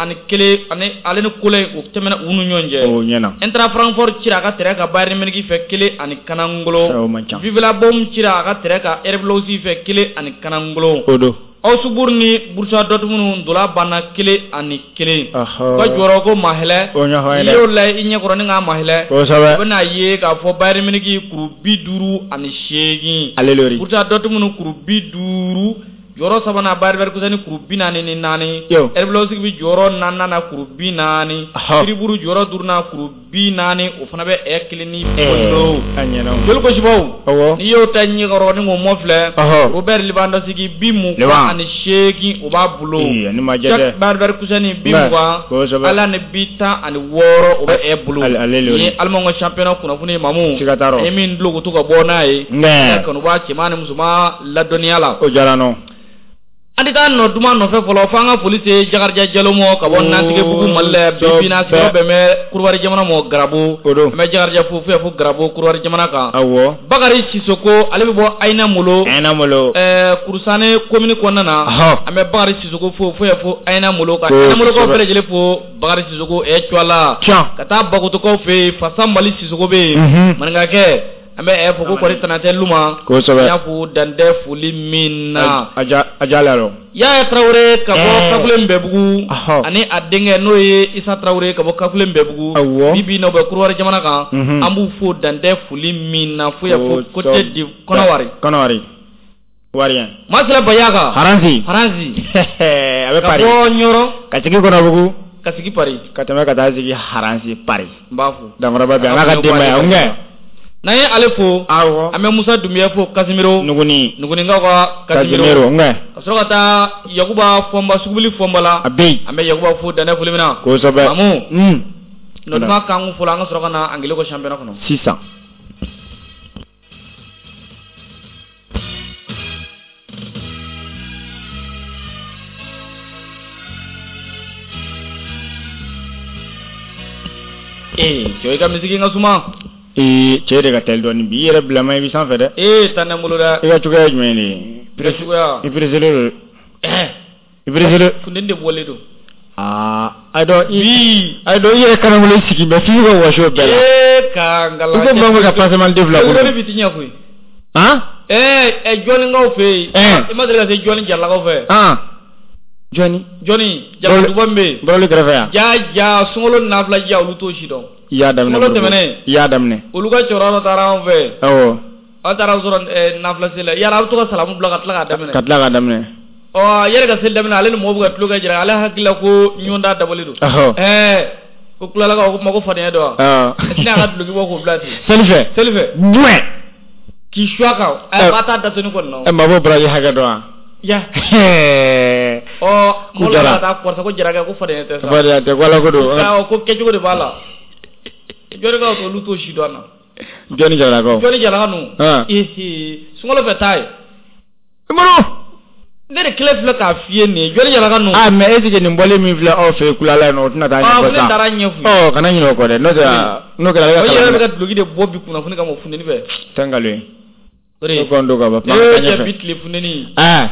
Speaker 2: ani ale ni Köln o tɛmɛna u ni ɲɔgɔn cɛ.
Speaker 1: O ɲɛna.
Speaker 2: Eintracht Francfort cira a ka terrain kan Bayern Munich fɛ 1-0.
Speaker 1: O man ca.
Speaker 2: Villa Bohm cira a ka terrain kan RB Leipzig fɛ 1-0.
Speaker 1: O don.
Speaker 2: Augsburg ni Borussia Dortmund ndola banna 1-1. Ka jɔyɔrɔ ko mahɛlɛ.
Speaker 1: O ɲɛfɔ an ye dɛ.
Speaker 2: N'i y'o lajɛ i ɲɛkɔrɔ ni k'a mahɛlɛ.
Speaker 1: Kosɛbɛ.
Speaker 2: O bɛna ye k'a fɔ Bayern Munich kuru 58.
Speaker 1: Ale lori.
Speaker 2: Borussia Dortmund kuru 50. Jɔyɔrɔ sabanan Bayer Leverkusen kuru 44. RB Leipzig bɛ jɔyɔrɔ naaninan na kuru 40. Fribourg jɔyɔrɔ duurunan kuru 40 o fana bɛ ɛ kelen ni bolo.
Speaker 1: A ɲɛna o.
Speaker 2: Joli kosibaw.
Speaker 1: Awɔ.
Speaker 2: N'i y'o ta ɲɛkɔrɔ ni k'o mɔ filɛ. Robert Lewandowski 28 o b'a bolo.
Speaker 1: Ee ni ma jɛ dɛ.
Speaker 2: Bayer Leverkusen 20.
Speaker 1: Kosɛbɛ.
Speaker 2: Ala ni 16 o bɛ ɛ bolo.
Speaker 1: Ale lori.
Speaker 2: Ni Allemagne ka championnat kunnafoni ye Mamu.
Speaker 1: Siga t'a rɔ.
Speaker 2: Ni min dulokoto ka bɔ n'a ye.
Speaker 1: Nka.
Speaker 2: Kanubaa cɛman ni musoman ladɔnniya la.
Speaker 1: O diyara n nɔ.
Speaker 2: An tɛ taa nɔ duman nɔfɛ fɔlɔ fo an ka foli se Jakarija Jalo ma ka bɔ Nantigibugu Mali la bi bi in na sigiyɔrɔ bɛn bɛ Korowari jamana ma Garabo.
Speaker 1: O don.
Speaker 2: An bɛ Jakarija fo fo Garabo Korowari jamana kan.
Speaker 1: Awɔ.
Speaker 2: Bakari Sisoko ale bɛ bɔ Ayina Molo.
Speaker 1: Ayina Molo.
Speaker 2: Kurusane commune kɔnɔna na. An bɛ Bakari Sisoko fo fo Ayina Molo ka Ayina Molokaw bɛɛ lajɛlen fo Bakari Sisoko ɛ Cuala. Ka taa Bakotokaw fɛ yen Fasa Mali Sisoko bɛ yen. Maninkakɛ. An bɛ fɔ ko kɔri tana tɛ Luma.
Speaker 1: Kosɛbɛ.
Speaker 2: N y'a fo dantɛ foli min na.
Speaker 1: A ja la.
Speaker 2: Yaya Tarawele ka bɔ Kakule Nbɛbugu. Ani a denkɛ n'o ye Isa Tarawele ka bɔ Kakule Nbɛbugu.
Speaker 1: Awɔ.
Speaker 2: Bi bi in na u bɛ Korowari jamana kan. An b'u fo dantɛ foli min na fo yan fo Côte de Kɔnɔwari.
Speaker 1: Kɔnɔwari. Warien.
Speaker 2: Masila Bayaka.
Speaker 1: Haransi.
Speaker 2: Haransi.
Speaker 1: A bɛ Paris.
Speaker 2: Ka bɔ Ɲɔrɔ.
Speaker 1: Ka sigi Kɔnɔbugu.
Speaker 2: Ka sigi Paris.
Speaker 1: Ka tɛmɛ ka taa sigi Haransi Paris.
Speaker 2: N b'a fo.
Speaker 1: Danfaraba bɛ a n'a ka denbaya n kɛ.
Speaker 2: N'an ye ale fo.
Speaker 1: Awɔ.
Speaker 2: An bɛ Musa Dunbiya fo Casimiro.
Speaker 1: Nuguni.
Speaker 2: Nugunikaw ka
Speaker 1: Casimiro n kɛ.
Speaker 2: Ka sɔrɔ ka taa Yakuba Fɔnba Sugubili Fɔnba la.
Speaker 1: A bɛ yen.
Speaker 2: An bɛ Yakuba fo dantɛ foli min na.
Speaker 1: Kosɛbɛ.
Speaker 2: Mamu. Nɔduma kan kun fɔlɔ an ka sɔrɔ ka na Angile ko championnat kɔnɔ.
Speaker 1: Sisan.
Speaker 2: Ee cɛ i ka misigi ka suma.
Speaker 1: Ee cɛ de ka teli dɔɔnin bi i yɛrɛ bilama i bɛ sanfɛ dɛ.
Speaker 2: Ee taa ne bolo dɛ.
Speaker 1: I ka cogoya ye jumɛn de ye.
Speaker 2: Cogoya.
Speaker 1: I pressé don. I pressé don.
Speaker 2: Funteni de bɔlen don.
Speaker 1: Aa ayi dɔn i. Ayi dɔn i yɛrɛ kanangolo sigi mɛ f'i ka wɔsi o bɛɛ la.
Speaker 2: Ee ka ngala.
Speaker 1: I ko maa min ka passement den fila
Speaker 2: bolo. Bi ti ɲɛ koyi.
Speaker 1: Han.
Speaker 2: Ee jɔnninkaw fɛ yen. I ma deli ka se jɔnni jaralakaw fɛ.
Speaker 1: Jɔnni.
Speaker 2: Jɔnni jaraduba min bɛ yen.
Speaker 1: Bɔrɔli kɛrɛfɛ yan.
Speaker 2: Ja ja sunkalo nafila ja olu t'o si dɔn.
Speaker 1: I y'a daminɛ.
Speaker 2: Sunkalo tɛmɛnen.
Speaker 1: I y'a daminɛ.
Speaker 2: Olu ka cɛkɔrɔba dɔ taara anw fɛ.
Speaker 1: Awɔ.
Speaker 2: An taara sɔrɔ nafila seli la yala a bɛ to ka salamu bila ka tila k'a daminɛ.
Speaker 1: Ka tila k'a daminɛ.
Speaker 2: Ɔ yɛrɛ ka seli daminɛ ale ni mɔgɔw bɛ ka tulo kɛ jira ale hakili la ko ɲɔgɔn da dabɔlen don.
Speaker 1: Ɛhɔ.
Speaker 2: Ko kulalakaw ko kuma ko fadenya don wa.
Speaker 1: Awɔ.
Speaker 2: Tɛna a ka duloki bɔ k'o bila ten.
Speaker 1: Seli fɛ.
Speaker 2: Seli fɛ.
Speaker 1: Jumɛn.
Speaker 2: K'i su a kan. A ba t'a datoni kɔni na.
Speaker 1: Ɛ mabɔ baraji hakɛ dɔn wa.
Speaker 2: Ya. Ɔ mɔgɔ la ka taa kɔrɔsa ko jarakɛ ko fadenya tɛ sa.
Speaker 1: Fadenya tɛ ko Ala ko don.
Speaker 2: Awɔ ko kɛcogo de b'a la. Jɔnnikaw olu t'o si dɔn na.
Speaker 1: Jɔnni jaralakaw.
Speaker 2: Jɔnni jaralaka ninnu. Ee sunkalo fɛ taa ye.
Speaker 1: Umaru.
Speaker 2: Ne de kelen filɛ k'a f'i ye nin ye jɔnni jaralaka ninnu.
Speaker 1: Ah mais est ce que nin bɔlen min filɛ aw fɛ yen kulala yen nɔ o tɛna taa ɲɛfɔ sa.
Speaker 2: Ne taara ɲɛf'u ye.
Speaker 1: Ɔ kana ɲinɛ o kɔ dɛ n'o tɛ n'o kɛra ale ka
Speaker 2: kalan. O yɛrɛ bɛ ka duloki de bɔ bi kunnafoni kama funteni fɛ.
Speaker 1: Tɛ nkalon ye.
Speaker 2: O de
Speaker 1: Ne kɔni don ka ban.
Speaker 2: Ee cɛ bi tile funteni.
Speaker 1: Aa.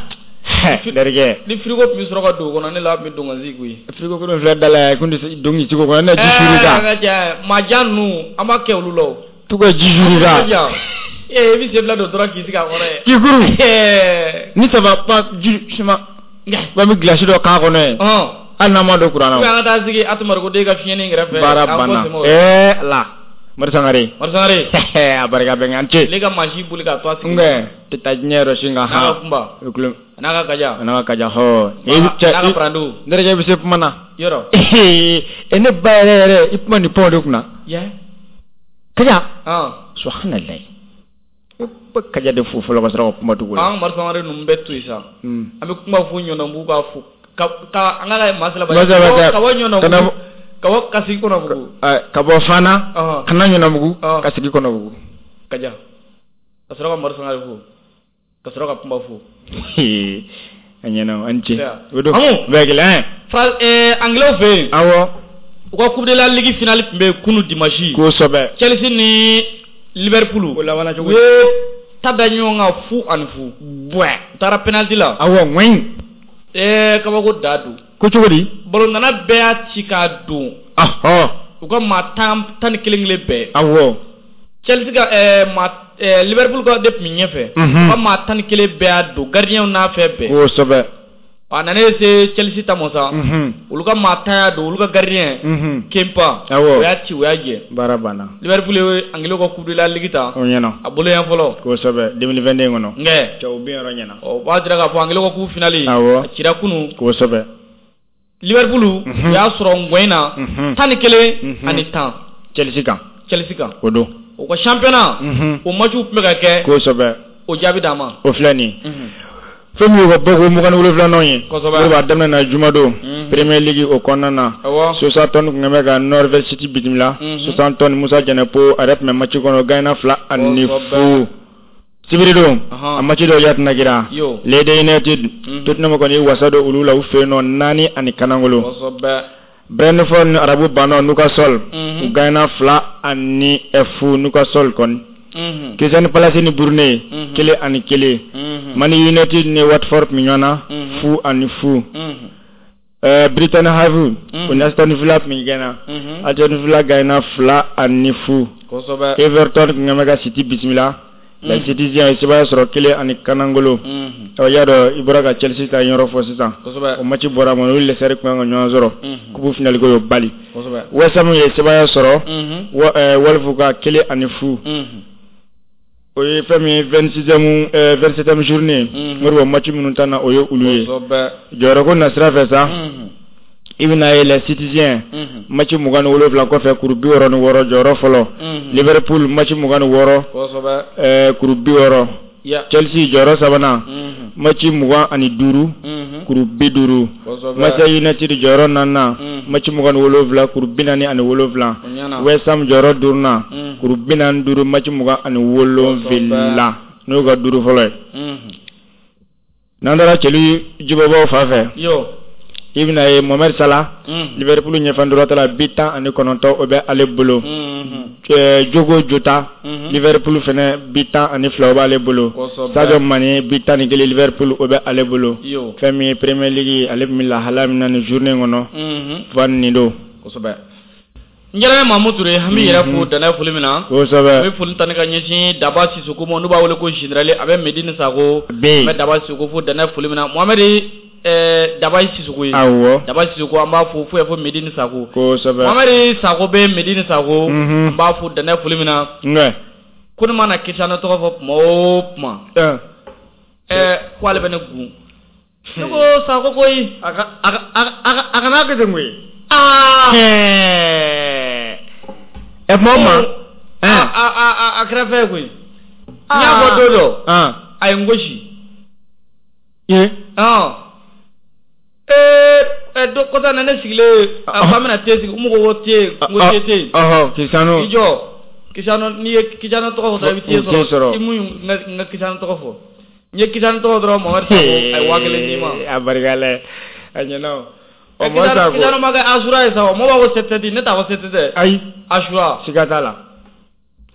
Speaker 1: Derikɛ.
Speaker 2: Ni frigo tun bɛ sɔrɔ ka don o kɔnɔ ne la tun bɛ don ka sigi koyi.
Speaker 1: Frigo ko filɛ da la yan kun tɛ don k'i sigi o kɔnɔ ne ji suru kan.
Speaker 2: Ɛɛ ka cɛ maajan ninnu an b'a kɛ olu la o.
Speaker 1: Tu ka ji suru kan.
Speaker 2: Ee i bɛ sen fila don dɔrɔn k'i sigi a kɔrɔ ye.
Speaker 1: K'i kuru. Ni ça va pas ji suma. Ba bɛ glace dɔ k'a kɔnɔ ye. Hali n'an ma don kuran na.
Speaker 2: An ka taa sigi Atumarikoden ka fiɲɛnin kɛrɛfɛ.
Speaker 1: Baara banna ee la. Mori Sangare.
Speaker 2: Mori Sangare.
Speaker 1: A barika bɛ an ce.
Speaker 2: Ne ka mansin boli k'a to a sigi.
Speaker 1: N kɛ tɛ taa diɲɛ yɔrɔ si nka.
Speaker 2: N'a ka kunba. N'a ka kaja.
Speaker 1: N'a ka kaja hɔ.
Speaker 2: N'a ka parandu.
Speaker 1: Ne yɛrɛ bɛ se kuma na.
Speaker 2: Yɔrɔ.
Speaker 1: E ne ba yɛrɛ yɛrɛ i kuma nin pɔn de kunna.
Speaker 2: Ya.
Speaker 1: Kaja. Subahanallahi. Kaja de fo fɔlɔ ka sɔrɔ ka kuma tugun.
Speaker 2: An Mori Sangare ninnu bɛɛ to yen sa. An bɛ kuma fo ɲɔnɔnbugu k'a fo ka an ka Masalaba. Ka bɔ ɲɔnɔnbugu. Ka bɔ ka sigi Kɔnɔbugu.
Speaker 1: Ka bɔ Fana. Ka na Ɲɔnɔbugu. Ka sigi Kɔnɔbugu.
Speaker 2: Kaja. Ka sɔrɔ ka Mari Sangare fo. Ka sɔrɔ ka Kunba fo.
Speaker 1: A ɲɛna, an ce. O don. Bɛɛ kelen.
Speaker 2: Anglais fɛ yen.
Speaker 1: Awɔ.
Speaker 2: U ka Coupe de la Ligue finale tun bɛ yen kunun dimanche.
Speaker 1: Kosɛbɛ.
Speaker 2: Chelsea ni Liverpool.
Speaker 1: O labanna cogo
Speaker 2: di? U ye ta da ɲɔgɔn kan 0-0.
Speaker 1: Buwɛ.
Speaker 2: U taara penalty la.
Speaker 1: Awɔ, ŋɔɲi.
Speaker 2: Kabako da don.
Speaker 1: Ko cogo di?
Speaker 2: Balontanna bɛɛ y'a ci k'a don.
Speaker 1: Ɔhɔ.
Speaker 2: U ka maa 11 kelen bɛɛ.
Speaker 1: Awɔ.
Speaker 2: Chelsea ka maa Liverpool ka de tun bɛ ɲɛfɛ. U ka maa 11 bɛɛ y'a don, gardien n'a fɛn bɛɛ.
Speaker 1: Kosɛbɛ.
Speaker 2: A nana se Chelsea ta ma sa. Olu ka maa 10 y'a don, olu ka gardien. Kepa.
Speaker 1: Awɔ.
Speaker 2: O y'a ci, o y'a jɛ.
Speaker 1: Baara banna.
Speaker 2: Liverpool ye Anglais ka Coupe de la Ligue ta.
Speaker 1: O ɲɛna.
Speaker 2: A bolo yan fɔlɔ.
Speaker 1: Kosɛbɛ 2022 kɔnɔ.
Speaker 2: Nkɛ.
Speaker 1: Cɛw bin yɔrɔ ɲɛna.
Speaker 2: O b'a jira k'a fɔ Anglais ka coupe finale.
Speaker 1: Awɔ.
Speaker 2: A cira kunun.
Speaker 1: Kosɛbɛ.
Speaker 2: Liverpool. U y'a sɔrɔ ngɔyin na. 11 ani 10.
Speaker 1: Chelsea kan.
Speaker 2: Chelsea kan.
Speaker 1: O don.
Speaker 2: O ka championnat. O match tun bɛ ka kɛ.
Speaker 1: Kosɛbɛ.
Speaker 2: O jaabi d'a ma.
Speaker 1: O filɛ nin ye. Fɛn min y'u ka bɔko 27nan ye.
Speaker 2: Kosɛbɛ.
Speaker 1: O b'a daminɛ na jumadon. Premier League o kɔnɔna na.
Speaker 2: Awɔ.
Speaker 1: Southampton tun bɛ ka Norwich City bisimila. Southampton Musa Jɛnɛpo a yɛrɛ tun bɛ match kɔnɔ gagné 2-0. Sibiridon. A match dɔw y'a tɛna kɛra. Leeds United. Tottenham kɔni ye wasa don olu la u fɛ yen nɔ 4-1.
Speaker 2: Kosɛbɛ.
Speaker 1: Brentford ni Arabu bannaw Newcastle. U gagné 2-0 Newcastle kɔni. Crystal Palace ni Burnley 1-1. Man United ni Watford tun bɛ ɲɔgɔn na 0-0. Brighton Hove o ni Aston Villa tun bɛ gɛnna. Aston Villa gagné 2-0.
Speaker 2: Kosɛbɛ.
Speaker 1: Everton tun bɛ ka City bisimila. Les Citizens ye sebaaya sɔrɔ 1-0. Ɔ y'a dɔn i bɔra ka Chelsea ta yɔrɔ fɔ sisan.
Speaker 2: Kosɛbɛ.
Speaker 1: O match bɔra ma olu Leicester tun kan ka ɲɔgɔn sɔrɔ. Coupe finale ko y'o bali.
Speaker 2: Kosɛbɛ.
Speaker 1: West Ham ye sebaaya sɔrɔ. Wolves ka 1-0. O ye fɛn min ye 27e journée. Moribo match minnu ta na o ye olu ye. Jɔyɔrɔ ko nasira fɛ sa. I bɛna ye les Citizens match 27 kɔfɛ kuru 66 jɔyɔrɔ fɔlɔ. Liverpool match 26.
Speaker 2: Kosɛbɛ.
Speaker 1: Kuru 60. Chelsea jɔyɔrɔ sabanan. Match 25. Kuru 50. Manchester United jɔyɔrɔ naaninan. Match 27 kuru 47. West Ham jɔyɔrɔ duurunan. Kuru 45 match 27 n'o ka duuru fɔlɔ ye. N'an taara cɛli jibɔbaw fan fɛ. I bɛna ye Mohamed Salah. Liverpool ɲɛfɛ la bi 19 o bɛ ale bolo. Diogo Jota. Liverpool fɛnɛ bi 12 o b'ale bolo. Sadio Mané bi 11 Liverpool o bɛ ale bolo. Fɛn min ye Premier League ale bɛ lahala min na nin journée kɔnɔ. Fan nin don.
Speaker 2: Kosɛbɛ. N yɛrɛ Mamu Ture an bɛ yɛrɛ fo danaya foli min na.
Speaker 1: Kosɛbɛ.
Speaker 2: An bɛ foli ta ni ka ɲɛsin Daba Sisoko ma n'u b'a wele ko général a bɛ Medine Sako. An bɛ Daba Sisoko fo danaya foli min na Mohamed Daba Sisoko ye.
Speaker 1: Awɔ.
Speaker 2: Daba Sisoko an b'a fo fo fo Medine Sako.
Speaker 1: Kosɛbɛ.
Speaker 2: Mohamed Sako bɛ Medine Sako. An b'a fo danaya foli min na.
Speaker 1: Nka.
Speaker 2: Ko ne mana Cristiano tɔgɔ fɔ tuma o tuma. Ko ale bɛ ne gun. Ne ko Sako koyi.
Speaker 1: A kana kɛ ten koyi.
Speaker 2: Aa.
Speaker 1: Ɛ kuma o ma.
Speaker 2: A kɛra fɛn ye koyi. N y'a fɔ don dɔ. A ye n gosi. Kɔsa na ne sigilen a ko an bɛna te sigi u ko te n ko te tɛ yen.
Speaker 1: Cristiano.
Speaker 2: I jɔ Cristiano n'i ye Cristiano tɔgɔ fɔ dɔrɔn i bɛ te sɔrɔ. I mun n ka Cristiano tɔgɔ fɔ. N ye Cristiano tɔgɔ dɔrɔn Mohamed Sako a ye 5000 d'i ma.
Speaker 1: A barika la a ɲɛna o.
Speaker 2: Cristiano ma kɛ Asura ye sa o mɔgɔw b'a fɔ 7-7 ne t'a fɔ 7-7 dɛ.
Speaker 1: Ayi.
Speaker 2: Asura.
Speaker 1: Siga t'a la.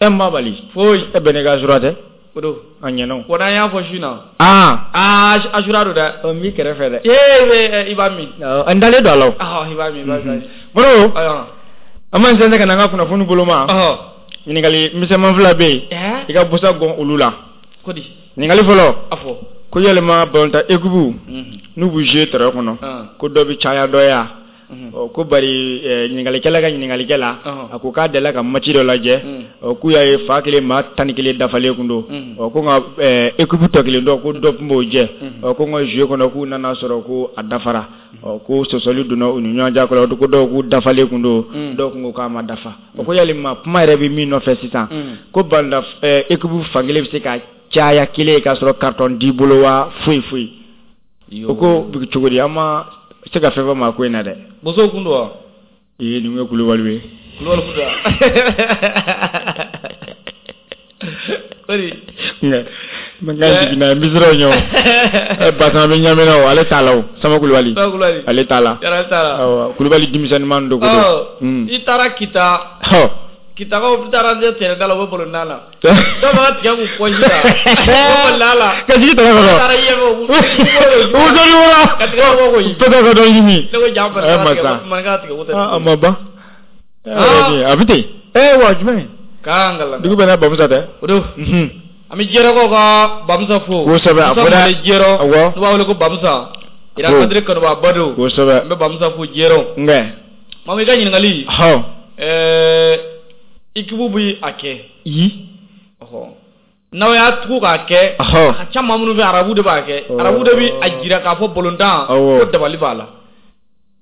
Speaker 1: E ma bali.
Speaker 2: Foyi.
Speaker 1: E bɛ ne ka Asura tɛ.
Speaker 2: O don.
Speaker 1: A ɲɛna o.
Speaker 2: Wa n'an y'a fɔ su in na.
Speaker 1: Aa.
Speaker 2: Asura don dɛ.
Speaker 1: Ɔ n b'i kɛrɛfɛ dɛ.
Speaker 2: Ee i b'a min.
Speaker 1: N dalen don a la o.
Speaker 2: I b'a min i b'a min.
Speaker 1: Moribo. An b'an sɛnsɛn ka na an ka kunnafoni bolo ma. Ɲininkali misɛnman 2 bɛ yen. I ka busa gɔn olu la.
Speaker 2: Ko di.
Speaker 1: Ɲininkali fɔlɔ.
Speaker 2: A fɔ.
Speaker 1: Ko yalima balontan équipe n'u b'u jouer terrain kɔnɔ. Ko dɔ bɛ caya dɔ ya. Ko bari ɲininkalikɛla ka ɲininkalikɛ la a ko k'a delila ka match dɔ lajɛ k'u y'a ye fa kelen maa 11 dafalen kun don ko nka équipe tɔ kelen dɔ ko dɔ tun b'o jɛ ko nka jouer kɔnɔ k'u nana sɔrɔ ko a dafara ko sɔsɔli donna u ni ɲɔgɔn cɛ ko dɔw k'u dafalen kun don dɔw kun ko k'a ma dafa ko yalima kuma yɛrɛ bɛ min nɔfɛ sisan ko balontan équipe fankelen bɛ se ka caya kelen k'a sɔrɔ carton t'i bolo wa foyi foyi o ko cogo di an ma se ka fɛn fɔ maa ko in na dɛ.
Speaker 2: Bosow kun don wa.
Speaker 1: Ee nin ye Kulubali ye.
Speaker 2: Kulubali kun don. Kori.
Speaker 1: N ka jiginna n bɛ siran o ɲɛ o. Basama bɛ ɲamina o ale t'a la o Sama Kulubali.
Speaker 2: Sama Kulubali.
Speaker 1: Ale t'a la.
Speaker 2: Yɔrɔ ale t'a la.
Speaker 1: Awɔ Kulubali denmisɛnninman don ko
Speaker 2: don. I taara Kita. Kitakaw taara terrain da la u bɛ ballon da la. Dɔw b'a tigɛ k'u pɔsi la. U bɛ ballon da la.
Speaker 1: Ka jigin terrain kɔnɔ.
Speaker 2: U taara yen u
Speaker 1: b'u dɔɔnin wɔrɔ.
Speaker 2: Ka tigɛ bɔ koyi.
Speaker 1: Peut-être ka dɔ ɲimi.
Speaker 2: Ne ko ja maninka tigɛ ko tɛ.
Speaker 1: A ma ban. A bɛ ten. Wa jumɛn.
Speaker 2: K'an kalan.
Speaker 1: Dugu bɛɛ n'a bamusa tɛ.
Speaker 2: O don. An bɛ Jɛrɛkaw ka Bamusa fo.
Speaker 1: Kosɛbɛ a fɔra.
Speaker 2: Jɛrɛ. Awɔ. N'u b'a wele ko Bamusa. Ira Kadiri kanubaaba don.
Speaker 1: Kosɛbɛ.
Speaker 2: An bɛ Bamusa fo Jɛrɛw.
Speaker 1: Nka.
Speaker 2: Mamu i ka ɲininkali.
Speaker 1: Hɔn.
Speaker 2: Équipe bɛ a kɛ.
Speaker 1: Yi.
Speaker 2: Ɔhɔ. N'aw y'a tugu k'a kɛ.
Speaker 1: Ɔhɔ.
Speaker 2: A ka ca maa minnu fɛ arabu de b'a kɛ. Arabu de bɛ a jira k'a fɔ balontan.
Speaker 1: Awɔ.
Speaker 2: Ko dabali b'a la.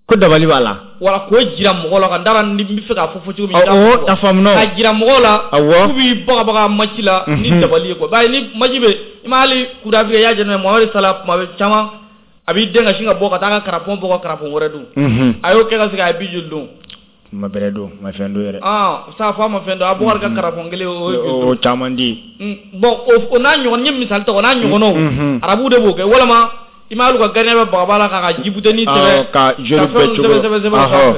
Speaker 1: Ko dabali b'a la.
Speaker 2: Wala k'o jira mɔgɔw la ka n taara ni n bɛ fɛ k'a fɔ cogo min.
Speaker 1: Awɔ a faamuna.
Speaker 2: K'a jira mɔgɔw la.
Speaker 1: Awɔ.
Speaker 2: K'u b'i bagabaga match la ni dabali ye quoi. Bari ni match bɛ i ma hali Coupe d'Afrique i y'a jateminɛ Mohamed Salah tuma bɛ caman a b'i den ka sin ka bɔ ka taa ka carapon bɔ ka carapon wɛrɛ dun. A y'o kɛ ka segin a ye bi joli dun.
Speaker 1: Ma bɛrɛ don ma fɛn don yɛrɛ.
Speaker 2: Sa fɔ a ma fɛn don Abubakar ka carapon kelen o ye
Speaker 1: o caman di.
Speaker 2: Bon o n'a ɲɔgɔn n ye misali ta o n'a ɲɔgɔnnaw. Arabuw de b'o kɛ walama i ma hali ka gardien bɛ bagaba la k'a ka jibuteni sɛbɛn
Speaker 1: ka joueur bɛɛ cogo
Speaker 2: sɛbɛn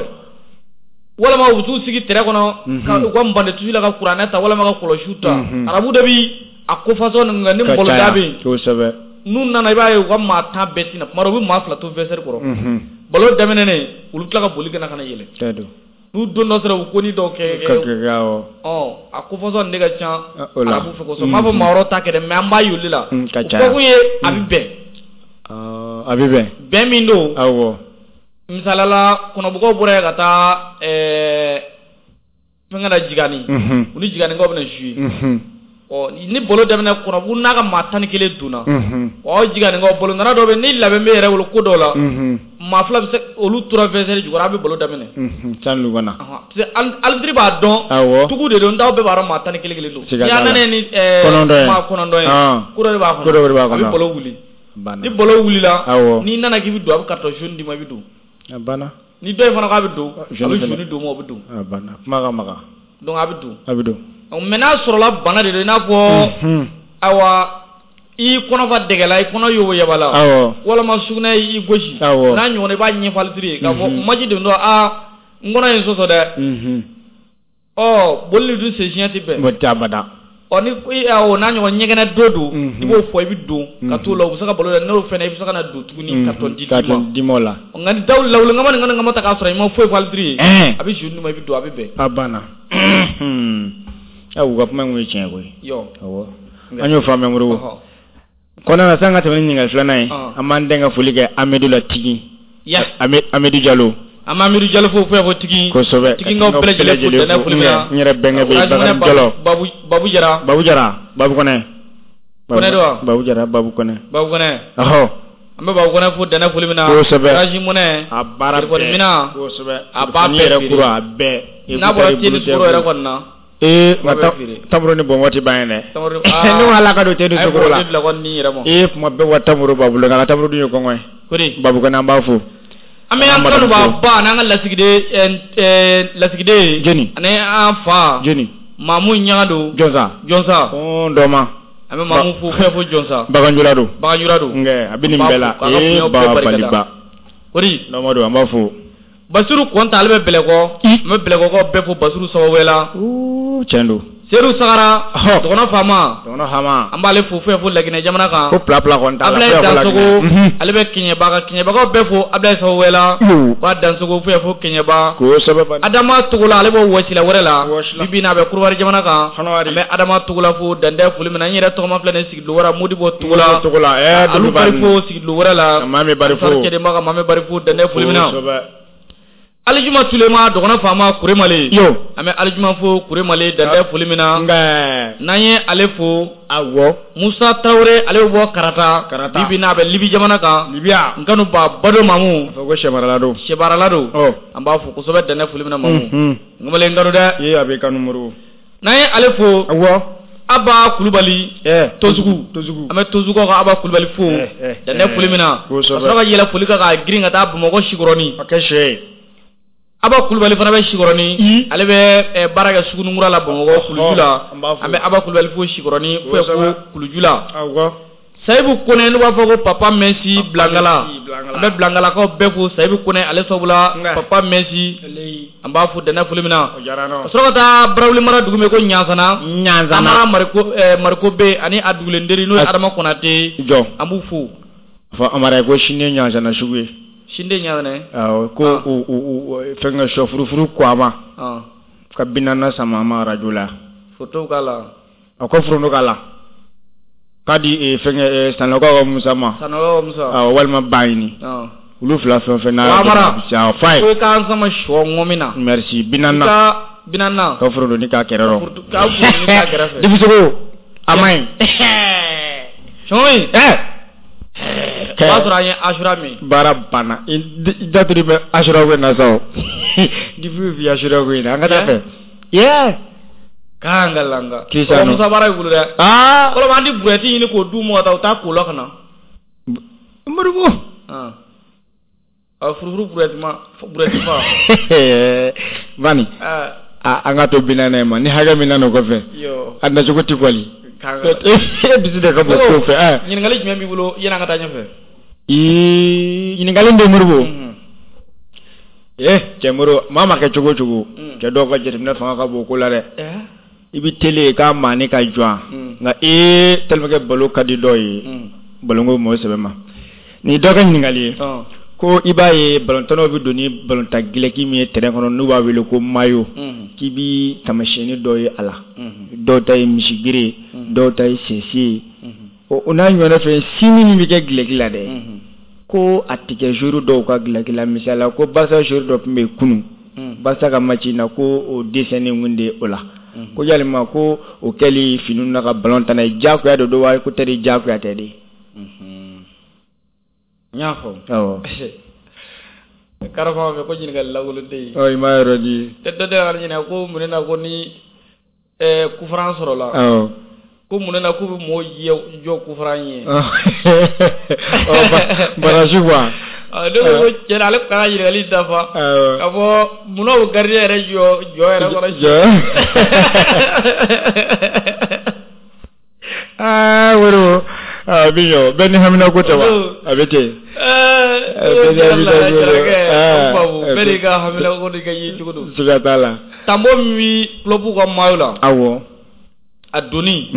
Speaker 2: walama u bɛ t'u sigi terrain kɔnɔ ka u ka mbande tusi la ka kuranɛ ta walama ka kɔlɔsiw ta arabu de bi a ko façon ninnu kɛ ni bɔlɔda bɛ yen
Speaker 1: kosɛbɛ
Speaker 2: n'u nana i b'a ye u ka maa 10 bɛɛ tina tuma dɔ u bɛ maa 2 to vestiaire kɔrɔ ballon daminɛnen olu tila ka boli ka na yɛlɛ n'u don dɔ sera u ko ni dɔw kɛ a ko façon de ka ca arabu fɛ kosɛbɛ n m'a fɔ maa wɛrɛw ta kɛ dɛ mais an b'a y'olu la
Speaker 1: o
Speaker 2: kɛkun ye a bɛ bɛn.
Speaker 1: A bɛ bɛn.
Speaker 2: Bɛn min don.
Speaker 1: Awɔ.
Speaker 2: Misalala kɔnɔbugaw bɔra yen ka taa fɛnkɛ la Jigani. U ni Jiganikaw bɛna jouer. Ɔ ni ballon daminɛ kɔnɔbugu n'a ka maa 11 donna. Ɔ Jiganikaw ballon nana dɔw bɛ ni labɛn bɛ yɛrɛ bolo ko dɔw la. Maa 2 bɛ se olu tora vestiaire jukɔrɔ a bɛ ballon daminɛ.
Speaker 1: Sanni u ka na.
Speaker 2: Parce que arbitre b'a dɔn.
Speaker 1: Awɔ.
Speaker 2: Tugu de don n'aw bɛɛ b'a dɔn maa 11 kelen don.
Speaker 1: Siga
Speaker 2: N'i
Speaker 1: t'a la.
Speaker 2: y'a nana ni maa 9 ye. Ko dɔ de b'a kɔnɔ.
Speaker 1: Ko dɔ de b'a kɔnɔ.
Speaker 2: A bɛ ballon wuli. Ni ballon wulila n'i nana k'i bɛ don a bɛ carton jaune d'i ma i bɛ don.
Speaker 1: A banna.
Speaker 2: Ni dɔ in fana k'a bɛ don a bɛ jaune d'o ma o bɛ don.
Speaker 1: A banna kuma ka magan.
Speaker 2: Donc a bɛ don.
Speaker 1: A bɛ don.
Speaker 2: Mais n'a sɔrɔla bana de don i n'a fɔ ayiwa i kɔnɔ fa dɛgɛ la i kɔnɔ yoboyaba la.
Speaker 1: Awɔ.
Speaker 2: Walama sugunɛ y'i gosi.
Speaker 1: Awɔ.
Speaker 2: N'a ɲɔgɔn i b'a ɲɛfɔ arbitre ye k'a fɔ match de don aa n kɔnɔ ye n sɔsɔ dɛ. Ɔ boli dun sen siɲɛ tɛ bɛn.
Speaker 1: O tɛ abada.
Speaker 2: Ɔ ni o n'a ɲɔgɔn ɲɛgɛnɛ dɔ don i b'o fɔ i bɛ don ka t'o la u bɛ se ka balo la n'o fɛnɛ i bɛ se ka na don tuguni carton d'i
Speaker 1: ma o la.
Speaker 2: Nka ni daw lawulen ni ŋama ta k'a sɔrɔ i ma foyi fɔ arbitre ye a bɛ jaune d'i ma i bɛ don a bɛ bɛn.
Speaker 1: A banna. U ka kuma in kun ye tiɲɛ koyi.
Speaker 2: Awɔ.
Speaker 1: An y'o faamuya Moribo. Kɔnɔna na san ka tɛmɛ ni ɲininkali filanan ye an b'an den ka foli kɛ Amadu la tigi. Amadu Jalo.
Speaker 2: An bɛ Amidu Jalo fo fo tigi.
Speaker 1: Kosɛbɛ.
Speaker 2: Tigigaw bɛɛ lajɛlen fo dɛnɛ foli min na.
Speaker 1: N yɛrɛ bɛnkɛ bɛ yen Bakari Jalo.
Speaker 2: Babu Jara.
Speaker 1: Babu Jara Babu Kɔnɛ.
Speaker 2: Kɔnɛ don wa?
Speaker 1: Babu Jara Babu Kɔnɛ.
Speaker 2: Babu Kɔnɛ.
Speaker 1: Ɔhɔ.
Speaker 2: An bɛ Babu Kɔnɛ fo dɛnɛ foli min na.
Speaker 1: Kosɛbɛ.
Speaker 2: Orange Money.
Speaker 1: A baara bɛɛ.
Speaker 2: Téléphone minɛn.
Speaker 1: Kosɛbɛ.
Speaker 2: A b'a bɛɛ
Speaker 1: feere. Yɛrɛ kura a bɛɛ.
Speaker 2: N'a bɔra te ni sukaro yɛrɛ kɔni na.
Speaker 1: Ee nka tamaro ni bɔn waati ban ye dɛ. Ne ko ala ka don te ni sukaro la.
Speaker 2: A ye bila kɔni ni yɛrɛ ma.
Speaker 1: Ee kuma bɛɛ wa tamaro b'a bolo nka tamaro dun ye kɔngɔ ye.
Speaker 2: Kori.
Speaker 1: Babu Kɔnɛ an b'a fo.
Speaker 2: An bɛ an kanuba ba n'an ka lasigiden.
Speaker 1: Jɔni.
Speaker 2: Ani an fa.
Speaker 1: Jɔni.
Speaker 2: Mamu Ɲagado.
Speaker 1: Jɔnsa.
Speaker 2: Jɔnsa.
Speaker 1: Dɔma.
Speaker 2: An bɛ Mamu fo fɛn fo Jɔnsa.
Speaker 1: Baganjula don.
Speaker 2: Baganjula don.
Speaker 1: Nka a bɛ nin bɛɛ la. Ee babaliba.
Speaker 2: Kori.
Speaker 1: Dɔma don an b'a fo.
Speaker 2: Basiru Kɔnta ale bɛ Bɛlɛkɔ. An bɛ Bɛlɛkɔkaw bɛɛ fo Basiru sababu la.
Speaker 1: Tiɲɛ don.
Speaker 2: Sedu Sagara. Dɔgɔnɔ faama.
Speaker 1: Dɔgɔnɔ faama.
Speaker 2: An b'ale fo fo Laginɛ jamana kan.
Speaker 1: Ko pila pila kɔni t'a la.
Speaker 2: Ablaye Dansogo. Ale bɛ Keɲeba kan Keɲebakaw bɛɛ fo Ablaye sababu la. K'a Dansogo fo Keɲeba.
Speaker 1: Kosɛbɛ.
Speaker 2: Adama Togola ale bɛ Wɔsila wɛrɛ la. Bi bi in na a bɛ Korowari jamana kan. An bɛ Adama Togola fo dantɛ foli min na n yɛrɛ tɔgɔma filɛ nin ye Sigidula wɛrɛ Modibo Togola.
Speaker 1: Togola ɛɛ
Speaker 2: Alu Bari fo Sigidula wɛrɛ la.
Speaker 1: Mame Bari fo.
Speaker 2: Cɛdenba ka Mame Bari fo dantɛ foli min na. Alijuma Tulema dɔgɔnɔ faama Kuremale.
Speaker 1: Yo.
Speaker 2: An bɛ Alijuma fo Kuremale dantɛ foli min na. N'an ye ale fo.
Speaker 1: Awɔ.
Speaker 2: Musa Tarawele ale bɛ bɔ Karata.
Speaker 1: Karata.
Speaker 2: Bi bi in na a bɛ Libi jamana kan.
Speaker 1: Libiya.
Speaker 2: N kanu ba Bado Mamu.
Speaker 1: A fɔ ko sɛbarala don.
Speaker 2: Sɛbarala don.
Speaker 1: Ɔ.
Speaker 2: An b'a fo kosɛbɛ dantɛ foli min na Mamu. N kamalen kanu dɛ.
Speaker 1: Ee a bɛ kanu Moribo.
Speaker 2: N'an ye ale fo.
Speaker 1: Awɔ.
Speaker 2: Aba Kulubali. Tozugu.
Speaker 1: Tozugu.
Speaker 2: An bɛ Tozugukaw ka Aba Kulubali fo. Dantɛ foli min na.
Speaker 1: Kosɛbɛ.
Speaker 2: Ka sɔrɔ ka yɛlɛ foli kan ka girin ka taa Bamakɔ Sikɔrɔni.
Speaker 1: A kɛ sɛ ye.
Speaker 2: Aba Kulubali fana bɛ Sikɔrɔni, ale bɛ baara kɛ Sugunikura la Bamakɔ Kuluju la. An bɛ Aba Kulubali fo Sikɔrɔni fo ko Kuluju la. Sayibu Kone n'u b'a fɔ ko Papa Messi Bilangala, an bɛ Bilangalakaw bɛɛ fo. Sayibu Kone ale sababu la Papa Messi, an b'a fo dɛnɛ foli min na. Ka sɔrɔ ka taa Barawuli mara dugu min ko Ɲansana, Amara Mariko bɛ ani a dugulenderi n'o ye Adama Konate,
Speaker 1: jɔ
Speaker 2: an b'u fo.
Speaker 1: Fɔ Amara ko sini ye Ɲansana sugu ye.
Speaker 2: Sini de Ɲansana ye?
Speaker 1: Awɔ, ko fɛnkɛ sɔ furufuru ko a ma ka 40 sama ma arajo la.
Speaker 2: Foto k'a la.
Speaker 1: A ko foronto k'a la. K'a di fɛnkɛ Sanɔgɔ ka Musa ma.
Speaker 2: Sanɔgɔ Musa.
Speaker 1: Awɔ, walima Baɲini. Olu fila fɛn o fɛn n'a.
Speaker 2: Amara.
Speaker 1: Fa ye.
Speaker 2: Ko i k'an sama sɔ ŋɔmi na.
Speaker 1: Merci 40.
Speaker 2: Ka 40.
Speaker 1: Ka foronto k'a kɛrɛ rɔ.
Speaker 2: Ka foronto k'a kɛrɛfɛ.
Speaker 1: Dibisogo a ma ɲi.
Speaker 2: Sɔngɔ in. O b'a sɔrɔ an ye asura min.
Speaker 1: Baara banna. I daturi bɛ asura ko in na sa o. Dibi bi asura ko in na an ka taa fɛ. Yeah.
Speaker 2: K'an ka langa.
Speaker 1: Cristiano.
Speaker 2: Musa baara y'i bolo dɛ.
Speaker 1: Aa.
Speaker 2: Kɔrɔ an ti burɛti ɲini k'o d'u ma ka taa u taa ko la ka na.
Speaker 1: Moribo.
Speaker 2: A furufuru burɛti ma burɛti fa.
Speaker 1: Bani. An ka to 40 ma ni hakɛ min nana o kɔfɛ. A nacogo tɛ kɔli. E dusu de ka bon ko fɛ.
Speaker 2: Ɲininkali jumɛn b'i bolo yanni an ka taa ɲɛfɛ?
Speaker 1: Ɲininkali bɛ Moribo. Cɛ Moribo maa ma kɛ cogo o cogo. Cɛ dɔw ka jateminɛ fanga ka bon ko la dɛ. I bɛ télé k'a maani ka jɔ nka tellement que balo ka di dɔw ye balonko mɔgɔ sɛbɛ ma. Nin dɔ ka ɲininkali ye. Ko i b'a ye balontannaw bɛ don ni balontan gilɛki min ye terrain kɔnɔ n'u b'a wele ko maillot, k'i bi taamasiyɛnni dɔ ye a la. Dɔw ta ye misigere, dɔw ta ye sɛsi ye. O n'a ɲɔgɔnna fɛn signe min bɛ kɛ gilɛki la dɛ, ko a tɛ kɛ joueur dɔw ka gilɛki la. Misali la ko Barca joueur dɔ tun bɛ yen kunun, Barca ka match in na ko o dessin kun de o la. Ko yalima ko o kɛli finiw na ka ballon tan n'a ye diyagoya de don wa ko tɛ diyagoya tɛ de?
Speaker 2: N y'a fɔ.
Speaker 1: Awɔ.
Speaker 2: Karama fɛ ko ɲininkali lankolon tɛ yen.
Speaker 1: Ɔ i m'a yɔrɔ di.
Speaker 2: Dɔ tɛ ka ɲininka ko mun na ko ni kufuran sɔrɔla.
Speaker 1: Awɔ.
Speaker 2: Ko mun na k'u bɛ mɔgɔw jɔ kufuran ye.
Speaker 1: Ɔ barrage quoi.
Speaker 2: Ne ko cɛ ale ka ɲininkali dafa.
Speaker 1: Awɔ.
Speaker 2: Ka fɔ munna o gardien yɛrɛ jɔ yɛrɛ kɔrɔ.
Speaker 1: Jɔ. Aa woro. A bɛ ɲɔ bɛɛ ni hamina ko tɛ wa? A bɛ ten.
Speaker 2: Bɛɛ n'i ka hamina ko n'i ka ye cogo don.
Speaker 1: Siga t'a la.
Speaker 2: Tanbo min bɛ club ka maillot la.
Speaker 1: Awɔ.
Speaker 2: A donni.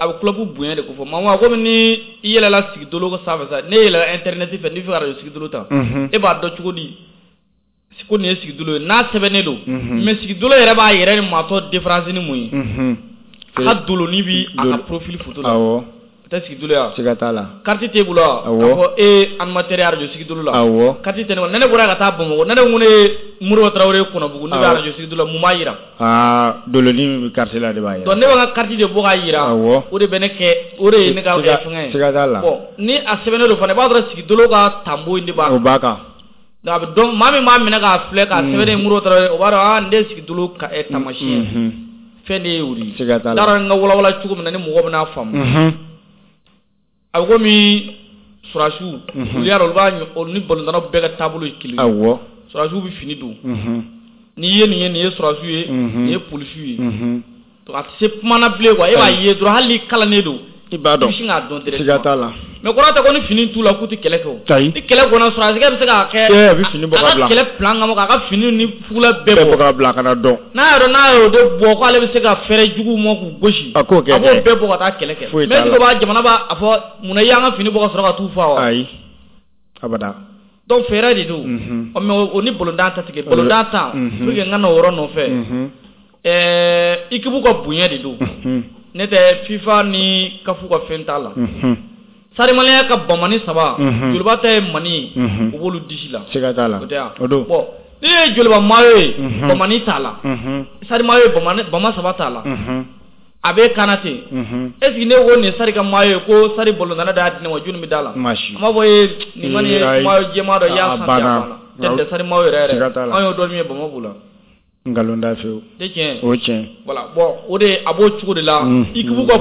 Speaker 2: A bɛ club bonya de ko fɔ. Maa komi ni i yɛlɛla sigidolo sanfɛ sa, ne yɛlɛla internet fɛ n'i fɛ ka radio sigidolo ta. E b'a dɔn cogo di ko nin ye sigidolo ye n'a sɛbɛnnen don. Mais sigidolo yɛrɛ b'a yɛrɛ ni maatɔ différence ni mun ye? A ka doloni bi a ka profil photo la.
Speaker 1: Awɔ.
Speaker 2: O tɛ sigidolo ya?
Speaker 1: Siga t'a la.
Speaker 2: Carte t'e bolo wa?
Speaker 1: Awɔ.
Speaker 2: K'a fɔ e animateur ye radio sigidolo la.
Speaker 1: Awɔ.
Speaker 2: Carte tɛ ne bolo. Ne bɔra ka taa Bamakɔ, ne ko ne ye Moribo Tarawele Kɔnɔbugu, ne bɛ radio sigidolo la, mun b'a yira?
Speaker 1: Aa doloni min bɛ carte la de b'a yira.
Speaker 2: Donc ne bɛ n ka carte de bɔ k'a yira.
Speaker 1: Awɔ.
Speaker 2: O de bɛ ne kɛ, o de ye ne ka fɛngɛ ye.
Speaker 1: Siga t'a la.
Speaker 2: Bon ni a sɛbɛnnen don fana, i b'a sɔrɔ sigidolo ka tanbo in de b'a kan.
Speaker 1: O b'a kan.
Speaker 2: Donc a bɛ dɔn maa min b'a minɛ k'a filɛ k'a sɛbɛnnen Moribo Tarawele, o b'a dɔn aa nin de ye sigidolo ka taamasiyɛn ye. Fɛn de ye o de ye.
Speaker 1: Siga t'a la.
Speaker 2: N t'a dɔn n ka walawala cogo min na ni mɔgɔ bɛn'a faamu. A bɛ komi surasiw. Olu y'a dɔn olu b'a olu ni balontannaw bɛɛ ka taabolo ye kelen ye.
Speaker 1: Awɔ.
Speaker 2: Surasiw bɛ fini don. N'i ye nin ye nin ye surasiw ye. Nin ye polisiw ye. Donc a tɛ se kuma na bilen quoi e b'a ye dɔrɔn hali n'i kalannen don.
Speaker 1: I b'a dɔn.
Speaker 2: I bɛ sin k'a dɔn directement.
Speaker 1: Siga t'a la.
Speaker 2: Mais kɔrɔ tɛ ko ni fini t'u la k'u tɛ kɛlɛ kɛ o.
Speaker 1: Ayi.
Speaker 2: Ni kɛlɛ kɔnɔ surasikɛ bɛ se k'a kɛ.
Speaker 1: A bɛ fini bɔ ka bila.
Speaker 2: A ka kɛlɛ plan kama k'a ka fini ni fugula bɛɛ
Speaker 1: bɔ ka bila ka na dɔn.
Speaker 2: N'a y'a dɔn n'a y'o de bɔ k'ale bɛ se ka fɛɛrɛ juguw ma k'u gosi.
Speaker 1: A k'o kɛ dɛ.
Speaker 2: A b'o bɛɛ bɔ ka taa kɛlɛ kɛ.
Speaker 1: Foyi t'a la.
Speaker 2: Mais est-ce que b'a jamana b'a fɔ munna i y'an ka fini bɔ ka sɔrɔ ka t'u faa wa?
Speaker 1: Ayi. Abada.
Speaker 2: Donc fɛɛrɛ de don. Ɔ mais o ni balontan ta tigɛ balontan ta. Pour que n ka na o yɔrɔ nɔfɛ. Équipe ka bonya de don. Ne tɛ FIFA ni CAF ka fɛn t'a la. Stade Malien ka bamani 3. Joliba ta ye mani ye. U b'olu disi la.
Speaker 1: Siga t'a la.
Speaker 2: O tɛ wa?
Speaker 1: O don.
Speaker 2: Bon ni ye Joliba maillot ye. Bamani t'a la. Stade maillot ye bama 3 t'a la. A bɛ kana ten. Est ce que ne ko nin Stade ka maillot ye ko Stade balontanna de y'a di ne ma jɔnni bɛ d'a la?
Speaker 1: Maa si.
Speaker 2: An b'a fɔ e nin kɔni ye maillot jɛman dɔ i y'a san ten a banna. Tɛ Stade maillot yɛrɛ
Speaker 1: Siga
Speaker 2: yɛrɛ.
Speaker 1: t'a la.
Speaker 2: An y'o dɔn min ye Bamako b'o la.
Speaker 1: Nkalon da fewu.
Speaker 2: Tɛ tiɲɛ.
Speaker 1: O tiɲɛ.
Speaker 2: Voilà bon o de a b'o cogo de la. Équipe ka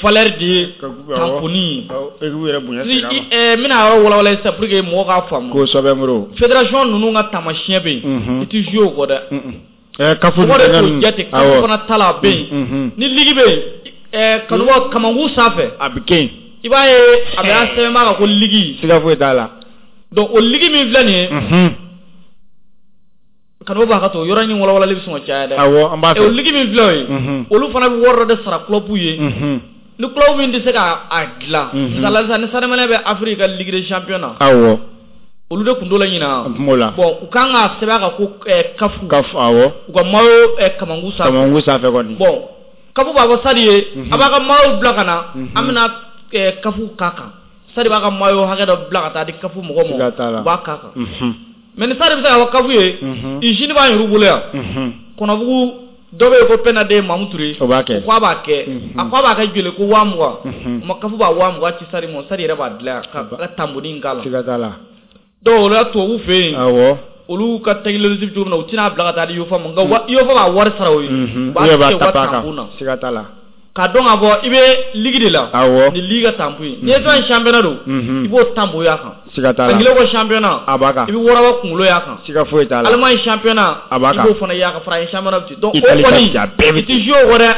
Speaker 2: valeur de ye tamponi ye. N bɛna yɔrɔ walawala sisan pour que mɔgɔw k'a faamu.
Speaker 1: Kosɛbɛ Modibo.
Speaker 2: Fédération ninnu ka taamasiyɛn bɛ yen. I tɛ jouer o kɔ dɛ.
Speaker 1: CAF
Speaker 2: mɔgɔ de t'o jate CAF fana ta la a bɛ yen. Ni ligue bɛ yen kanubaw kamankun sanfɛ.
Speaker 1: A bɛ kɛ yen.
Speaker 2: I b'a ye a bɛ sɛbɛn b'a kan ko ligue.
Speaker 1: Siga foyi t'a la.
Speaker 2: Donc o ligue min filɛ nin ye. Kanubaw b'a ka to yɔrɔ in walawalali bɛ sɔn ka caya dɛ.
Speaker 1: Awɔ an b'a fɛ.
Speaker 2: O ligue min filɛ o ye. Olu fana bɛ wari dɔ de sara club ye. Ni club min tɛ se k'a dilan. Misali la sisan ni Stade Malien bɛ Afrique ka Ligue des champions na.
Speaker 1: Awɔ.
Speaker 2: Olu de tun t'o la ɲinan.
Speaker 1: N tun b'o la.
Speaker 2: Bon u kan k'a sɛbɛn a kan ko CAF.
Speaker 1: CAF awɔ.
Speaker 2: U ka maillot kamankun sanfɛ.
Speaker 1: Kamankun sanfɛ kɔni.
Speaker 2: Bon CAF b'a fɔ Stade ye. A b'a ka maillot bila ka na. An bɛna CAF k'a kan. Stade b'a ka maillot hakɛ dɔ bila ka taa di CAF mɔgɔw ma.
Speaker 1: Siga t'a la.
Speaker 2: U b'a k'a kan. Mais ni Stade bɛ se k'a fɔ CAF ye. Usine b'an yɛrɛ bolo yan. Kɔnɔbugu dɔ bɛ yen ko Pɛnda Mamu Ture.
Speaker 1: O b'a kɛ.
Speaker 2: O ko a b'a kɛ. A ko a b'a kɛ joli ko 20,000. O ma CAF b'a 20,000 ci Stade ma Stade yɛrɛ b'a dilan ka tanboni in k'a la.
Speaker 1: Siga t'a la.
Speaker 2: Donc o la tubabuw fɛ yen.
Speaker 1: Awɔ.
Speaker 2: Olu ka technologie bɛ cogo min na u tɛna bila ka taa di UEFA ma nka UEFA b'a wari sara o ye.
Speaker 1: U b'a kɛ u ka tanbon
Speaker 2: na.
Speaker 1: Siga t'a la.
Speaker 2: K'a dɔn k'a fɔ i bɛ ligue de la.
Speaker 1: Awɔ.
Speaker 2: Ni ligue ka tanbon ye. N'i ye fɛn championnat don. I b'o tanbon y'a kan.
Speaker 1: Siga t'a la.
Speaker 2: Anglais ko championnat.
Speaker 1: A b'a kan.
Speaker 2: I bɛ waraba kunkolo y'a kan.
Speaker 1: Siga foyi t'a la.
Speaker 2: Allemagne championnat.
Speaker 1: A b'a kan.
Speaker 2: I b'o fana y'a kan. France championnat bɛ ten. Donc o kɔni i tɛ jouer o kɔ dɛ.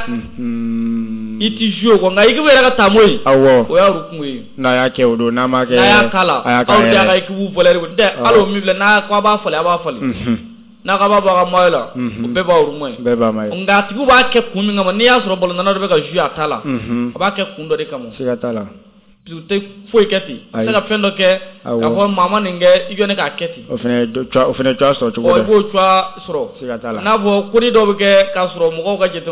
Speaker 2: I tɛ jouer o kɔ nka équipe yɛrɛ ka tanbon ye.
Speaker 1: Awɔ.
Speaker 2: O y'a kungo ye.
Speaker 1: N'a y'a kɛ o don n'a m'a kɛ.
Speaker 2: N'a y'a k'a la. Aw de y'a ka équipe valeur ko tɛ hali o min filɛ n'a ko a b'a falen a b'a falen. N'a ko a b'a bɔ a ka maillot la. O bɛɛ b'a ru ye.
Speaker 1: Bɛɛ b'a ma ye.
Speaker 2: Nka a tigiw b'a kɛ kun min kama n'i y'a sɔrɔ balontanna dɔ bɛ ka jouer a ta la. A b'a kɛ kun dɔ de kama.
Speaker 1: Siga t'a la.
Speaker 2: U tɛ foyi kɛ ten. I tɛ se ka fɛn dɔ kɛ. K'a fɔ maa ma nin kɛ i jɔ ne k'a kɛ ten.
Speaker 1: O fana cogoya sɔrɔ cogo dɔ.
Speaker 2: I b'o cogoya sɔrɔ.
Speaker 1: Siga t'a la.
Speaker 2: N'a fɔ ko ni dɔw bɛ kɛ k'a sɔrɔ mɔgɔw ka jate.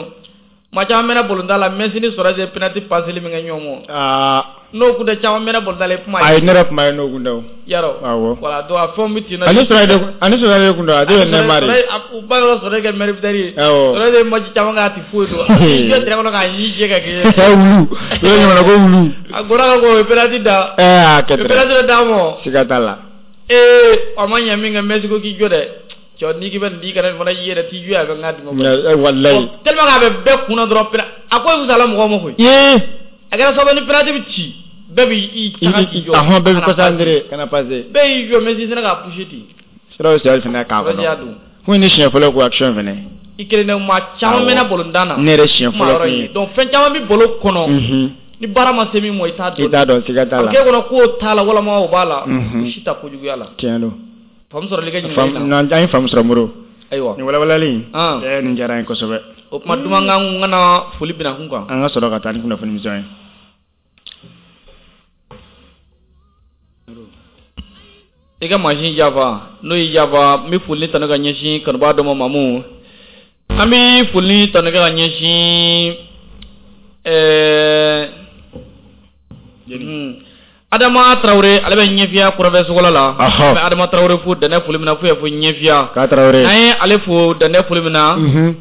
Speaker 2: Maa caman mɛnna balontan la Messi ni Suarez ye penalty paseli min kɛ ɲɔgɔn ma. N'o kun tɛ caman mɛnna balontan la i kuma ye.
Speaker 1: Ayi ne yɛrɛ kuma ye n'o kun tɛ o.
Speaker 2: Yarɔ.
Speaker 1: Awɔ.
Speaker 2: Voilà donc a fɛnw bɛ ten.
Speaker 1: Ani Suarez de kun tɛ a de ye Neymar ye.
Speaker 2: U ba yɔrɔ Suarez kɛ meilleur buteur ye.
Speaker 1: Awɔ.
Speaker 2: Suarez ye match caman kɛ a tɛ foyi dɔn. A y'i jɔ terrain kɔnɔ k'a ɲi jɛ ka kɛ.
Speaker 1: Wulu. O ye ɲɔgɔnna ko wulu.
Speaker 2: A gora ka ko o ye penalty da.
Speaker 1: A kɛ
Speaker 2: ten. Penalty dɔ d'a ma.
Speaker 1: Siga t'a la.
Speaker 2: A ma ɲɛ min kɛ Messi ko k'i jɔ dɛ. Cɛ n'i k'i bɛ nin di kana nin fana y'i yɛrɛ t'i jɔ a bɛ n ka d'i ma.
Speaker 1: Walayi.
Speaker 2: Tellement que a bɛ bɛɛ kunna dɔrɔn a ko fisayala mɔgɔw ma koyi. A kɛra sababu ni penalty bɛ ci bɛɛ b'i taga k'i jɔ.
Speaker 1: Ahɔn bɛɛ bɛ concentré kana passer.
Speaker 2: Bɛɛ y'i jɔ Messi sera k'a pousser ten.
Speaker 1: Sira o sira fana k'a kɔnɔ. Kun ye ne siɲɛ fɔlɔ ko action fana.
Speaker 2: I kelen tɛ maa caman mɛnna balontan na.
Speaker 1: Ne yɛrɛ siɲɛ fɔlɔ kun ye.
Speaker 2: Donc fɛn caman bɛ ballon kɔnɔ. Ni baara ma se min ma i t'a dɔn.
Speaker 1: I t'a dɔn siga t'a la.
Speaker 2: A k'e kɔnɔ k'o t'a la walima o b'a la. O si t'a kojuguya la.
Speaker 1: Tiɲɛ don.
Speaker 2: Faamu sɔrɔli ka ɲininkali
Speaker 1: la. An ye faamu sɔrɔ Modibo.
Speaker 2: Ayiwa.
Speaker 1: Nin walawalali in. Nin diyara n ye kosɛbɛ.
Speaker 2: O tuma duman kan ka na foli bina kun kan.
Speaker 1: An ka sɔrɔ ka taa ni kunnafoni misɛn ye.
Speaker 2: I ka mansin jafa n'o y'i jafa n bɛ foli tanu ka ɲɛsin kanubaa dɔ ma Mamu. An bɛ foli tanu ka ɲɛsin Adama Traoré ale bɛ ɲɛfiya kɔrɔfɛ sogola la. An bɛ Adama Traoré fo dɛnɛ foli min na fo y'a fɔ ɲɛfiya.
Speaker 1: K'a Traoré.
Speaker 2: N'an ye ale fo dɛnɛ foli min na.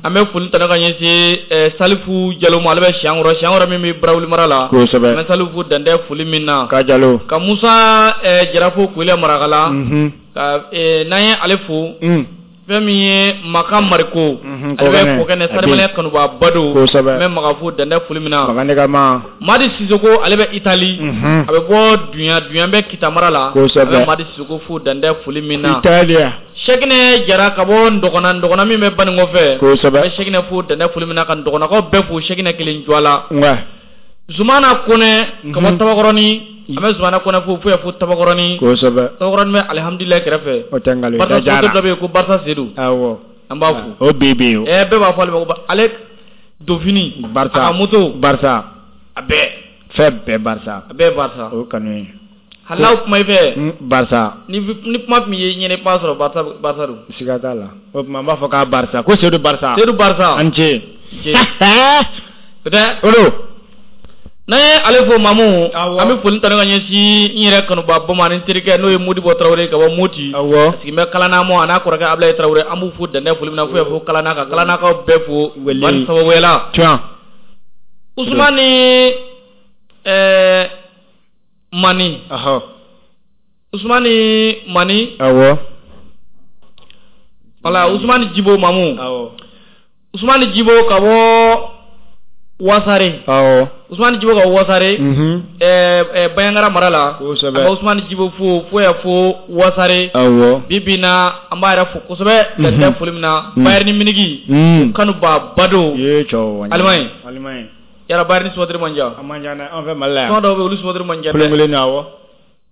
Speaker 2: An bɛ foli tanu ka ɲɛsin Salifu Jalo ma ale bɛ Siankɔrɔ Siankɔrɔ min bɛ Barawuli mara la.
Speaker 1: Kosɛbɛ.
Speaker 2: An bɛ Salifu fo dɛnɛ foli min na.
Speaker 1: K'a Jalo.
Speaker 2: Ka Musa Jara fo Koyila Marakala. Ka n'an ye ale fo. Fɛn min ye Makan Mariko. Ale bɛ Kɔkɛnɛ Stade Malien kanuba Bado.
Speaker 1: Kosɛbɛ.
Speaker 2: An bɛ Makan fo dɛnɛ foli min na.
Speaker 1: Makan ne ka ma.
Speaker 2: Madi Sisoko ale bɛ Itali. A bɛ bɔ Dunya Dunya bɛ Kita mara la.
Speaker 1: Kosɛbɛ.
Speaker 2: An bɛ Madi Sisoko fo dɛnɛ foli min na.
Speaker 1: Italia.
Speaker 2: Sɛkinɛ Jara ka bɔ Ndɔgɔna Ndɔgɔna min bɛ Banikɔ fɛ.
Speaker 1: Kosɛbɛ.
Speaker 2: An bɛ Sɛkinɛ fo dɛnɛ foli min na ka Ndɔgɔnakaw bɛɛ fo Sɛkinɛ kelen jɔ la.
Speaker 1: Nka.
Speaker 2: Zumana Kɔnɛ ka bɔ Tabakɔrɔni. An bɛ Zumana Kɔnɛ fo fo y'a fo Tabakɔrɔni.
Speaker 1: Kosɛbɛ.
Speaker 2: Tabakɔrɔni bɛ alihamudulila kɛrɛfɛ.
Speaker 1: O tɛ nkalon ye.
Speaker 2: Barisa supporter dɔ bɛ yen ko Barisa Sedu.
Speaker 1: Awɔ.
Speaker 2: An b'a fo.
Speaker 1: O bɛ yen o.
Speaker 2: Bɛɛ b'a fɔ ale ma ko ale Dofini.
Speaker 1: Barisa.
Speaker 2: A ka moto.
Speaker 1: Barisa.
Speaker 2: A bɛɛ.
Speaker 1: Fɛn bɛɛ Barisa.
Speaker 2: A bɛɛ Barisa.
Speaker 1: O kanu ye.
Speaker 2: Hali n'aw kuma i fɛ.
Speaker 1: Barisa.
Speaker 2: Ni kuma min ye ɲɛnɛ i b'a sɔrɔ Barisa don.
Speaker 1: Siga t'a la. O tuma an b'a fɔ k'a Barisa ko Sedu Barisa.
Speaker 2: Sedu Barisa.
Speaker 1: A ni ce.
Speaker 2: O tɛ.
Speaker 1: O don.
Speaker 2: N'an ye ale fo Mamu, an bɛ foli tanu ka ɲɛsin n yɛrɛ kanuba bɔ ma ni terikɛ n'o ye Modibo Traoré ka bɔ Moti.
Speaker 1: Awɔ.
Speaker 2: A sigilen bɛ Kalanamɔ a n'a kɔrɔkɛ Abulaye Traoré an b'u fo dɛnɛ foli min na fo y'a fo Kalana ka Kalanakaw bɛɛ fo. Wali sababuya la.
Speaker 1: Tiɲɛ.
Speaker 2: Usumani Mani.
Speaker 1: Ahɔ.
Speaker 2: Usumani Mani.
Speaker 1: Awɔ.
Speaker 2: Wala Usumani Jibo Mamu.
Speaker 1: Awɔ.
Speaker 2: Usumani Jibo ka bɔ Wasare.
Speaker 1: Awɔ.
Speaker 2: Usumani Jibo ka Wasare. Bayangara mara la.
Speaker 1: Kosɛbɛ.
Speaker 2: An bɛ Usumani Jibo fo fo yan fo Wasare.
Speaker 1: Awɔ.
Speaker 2: Bi bi in na an b'a yɛrɛ fo kosɛbɛ. Dan tɛ foli min na. Bayern Munich. Kanuba Bado.
Speaker 1: Ye cɛw.
Speaker 2: Allemagne.
Speaker 1: Allemagne.
Speaker 2: Yara Bayern supporter man ca.
Speaker 1: A man ca dɛ, an fɛ Mali la yan.
Speaker 2: Tɔn dɔw bɛ yen olu supporter man ca dɛ.
Speaker 1: Kelen kelen awɔ.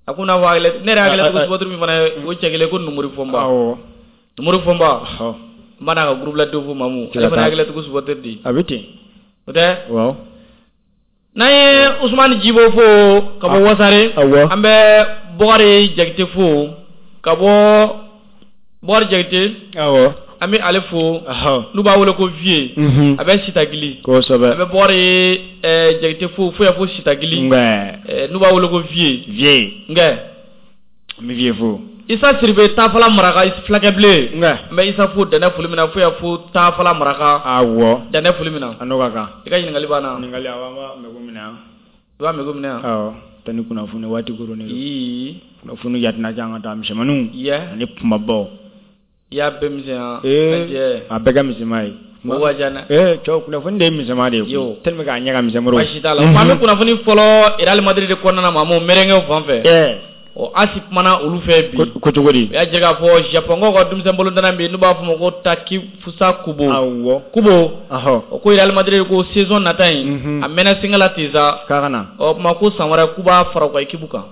Speaker 2: A ko n'a fɔ hakili ne yɛrɛ hakili ko supporter min fana ye o cɛ kelen ko Numuri Fɔnba.
Speaker 1: Awɔ.
Speaker 2: Numuri Fɔnba.
Speaker 1: Ɔhɔ.
Speaker 2: N b'a n'a ka groupe la denw fo Mamu. Ale fana ye hakili supporter di.
Speaker 1: A bɛ ten.
Speaker 2: O tɛ.
Speaker 1: Awɔ.
Speaker 2: N'an ye Usumani Jibo fo ka bɔ Wasare.
Speaker 1: Awɔ.
Speaker 2: An bɛ Bɔkari Jakite fo ka bɔ Bɔkari Jakite.
Speaker 1: Awɔ.
Speaker 2: An bɛ ale fo.
Speaker 1: Ɔhɔ.
Speaker 2: N'u b'a wele ko Vieux. A bɛ Sitagili.
Speaker 1: Kosɛbɛ.
Speaker 2: An bɛ Bɔkari Jakite fo fo yan fo Sitagili.
Speaker 1: Nka.
Speaker 2: N'u b'a wele ko Vieux.
Speaker 1: Vieux.
Speaker 2: Nka.
Speaker 1: An bɛ Vieux fo.
Speaker 2: Isa Siribe Tafala Maraka fulakɛbilen.
Speaker 1: Nka.
Speaker 2: N bɛ Isa fo dɛnɛ foli min na fo yan fo Tafala Maraka.
Speaker 1: Awɔ.
Speaker 2: Dɛnɛ foli min na.
Speaker 1: A n'o ka kan.
Speaker 2: I ka ɲininkali banna.
Speaker 1: Ɲininkali awɔ, an b'a mɛko minɛ yan.
Speaker 2: I b'a mɛko minɛ yan.
Speaker 1: Awɔ. Tani kunnafoni waati koronnen don.
Speaker 2: Ii.
Speaker 1: Kunnafoni yatina can ka taa misɛnmaninw.
Speaker 2: Yɛ.
Speaker 1: Ani kumabaw.
Speaker 2: I y'a bɛɛ misɛnya.
Speaker 1: Ee a bɛɛ ka misɛnma ye.
Speaker 2: O ka ca dɛ.
Speaker 1: Ee cɛw kunnafoni de ye misɛnma de ye koyi.
Speaker 2: Yo.
Speaker 1: Tellement que a ɲɛ ka misɛn Moribo.
Speaker 2: Baasi t'a la. An bɛ kunnafoni fɔlɔ Real Madrid de kɔnɔna na Mamu merengue fan fɛ.
Speaker 1: Ɛɛ.
Speaker 2: Ɔ AS kumana olu fɛ bi.
Speaker 1: Ko cogo di?
Speaker 2: U y'a jira k'a fɔ Japon ka denmisɛn bolontanna bɛ yen n'u b'a fɔ o ma ko Takefusa Kubo.
Speaker 1: Awɔ.
Speaker 2: Kubo.
Speaker 1: Ɔhɔ.
Speaker 2: O ko Real Madrid ko saison nata in. A mɛnna senga la ten sa.
Speaker 1: K'a ka na.
Speaker 2: Ɔ tuma ko san wɛrɛ k'u b'a fara u ka équipe kan.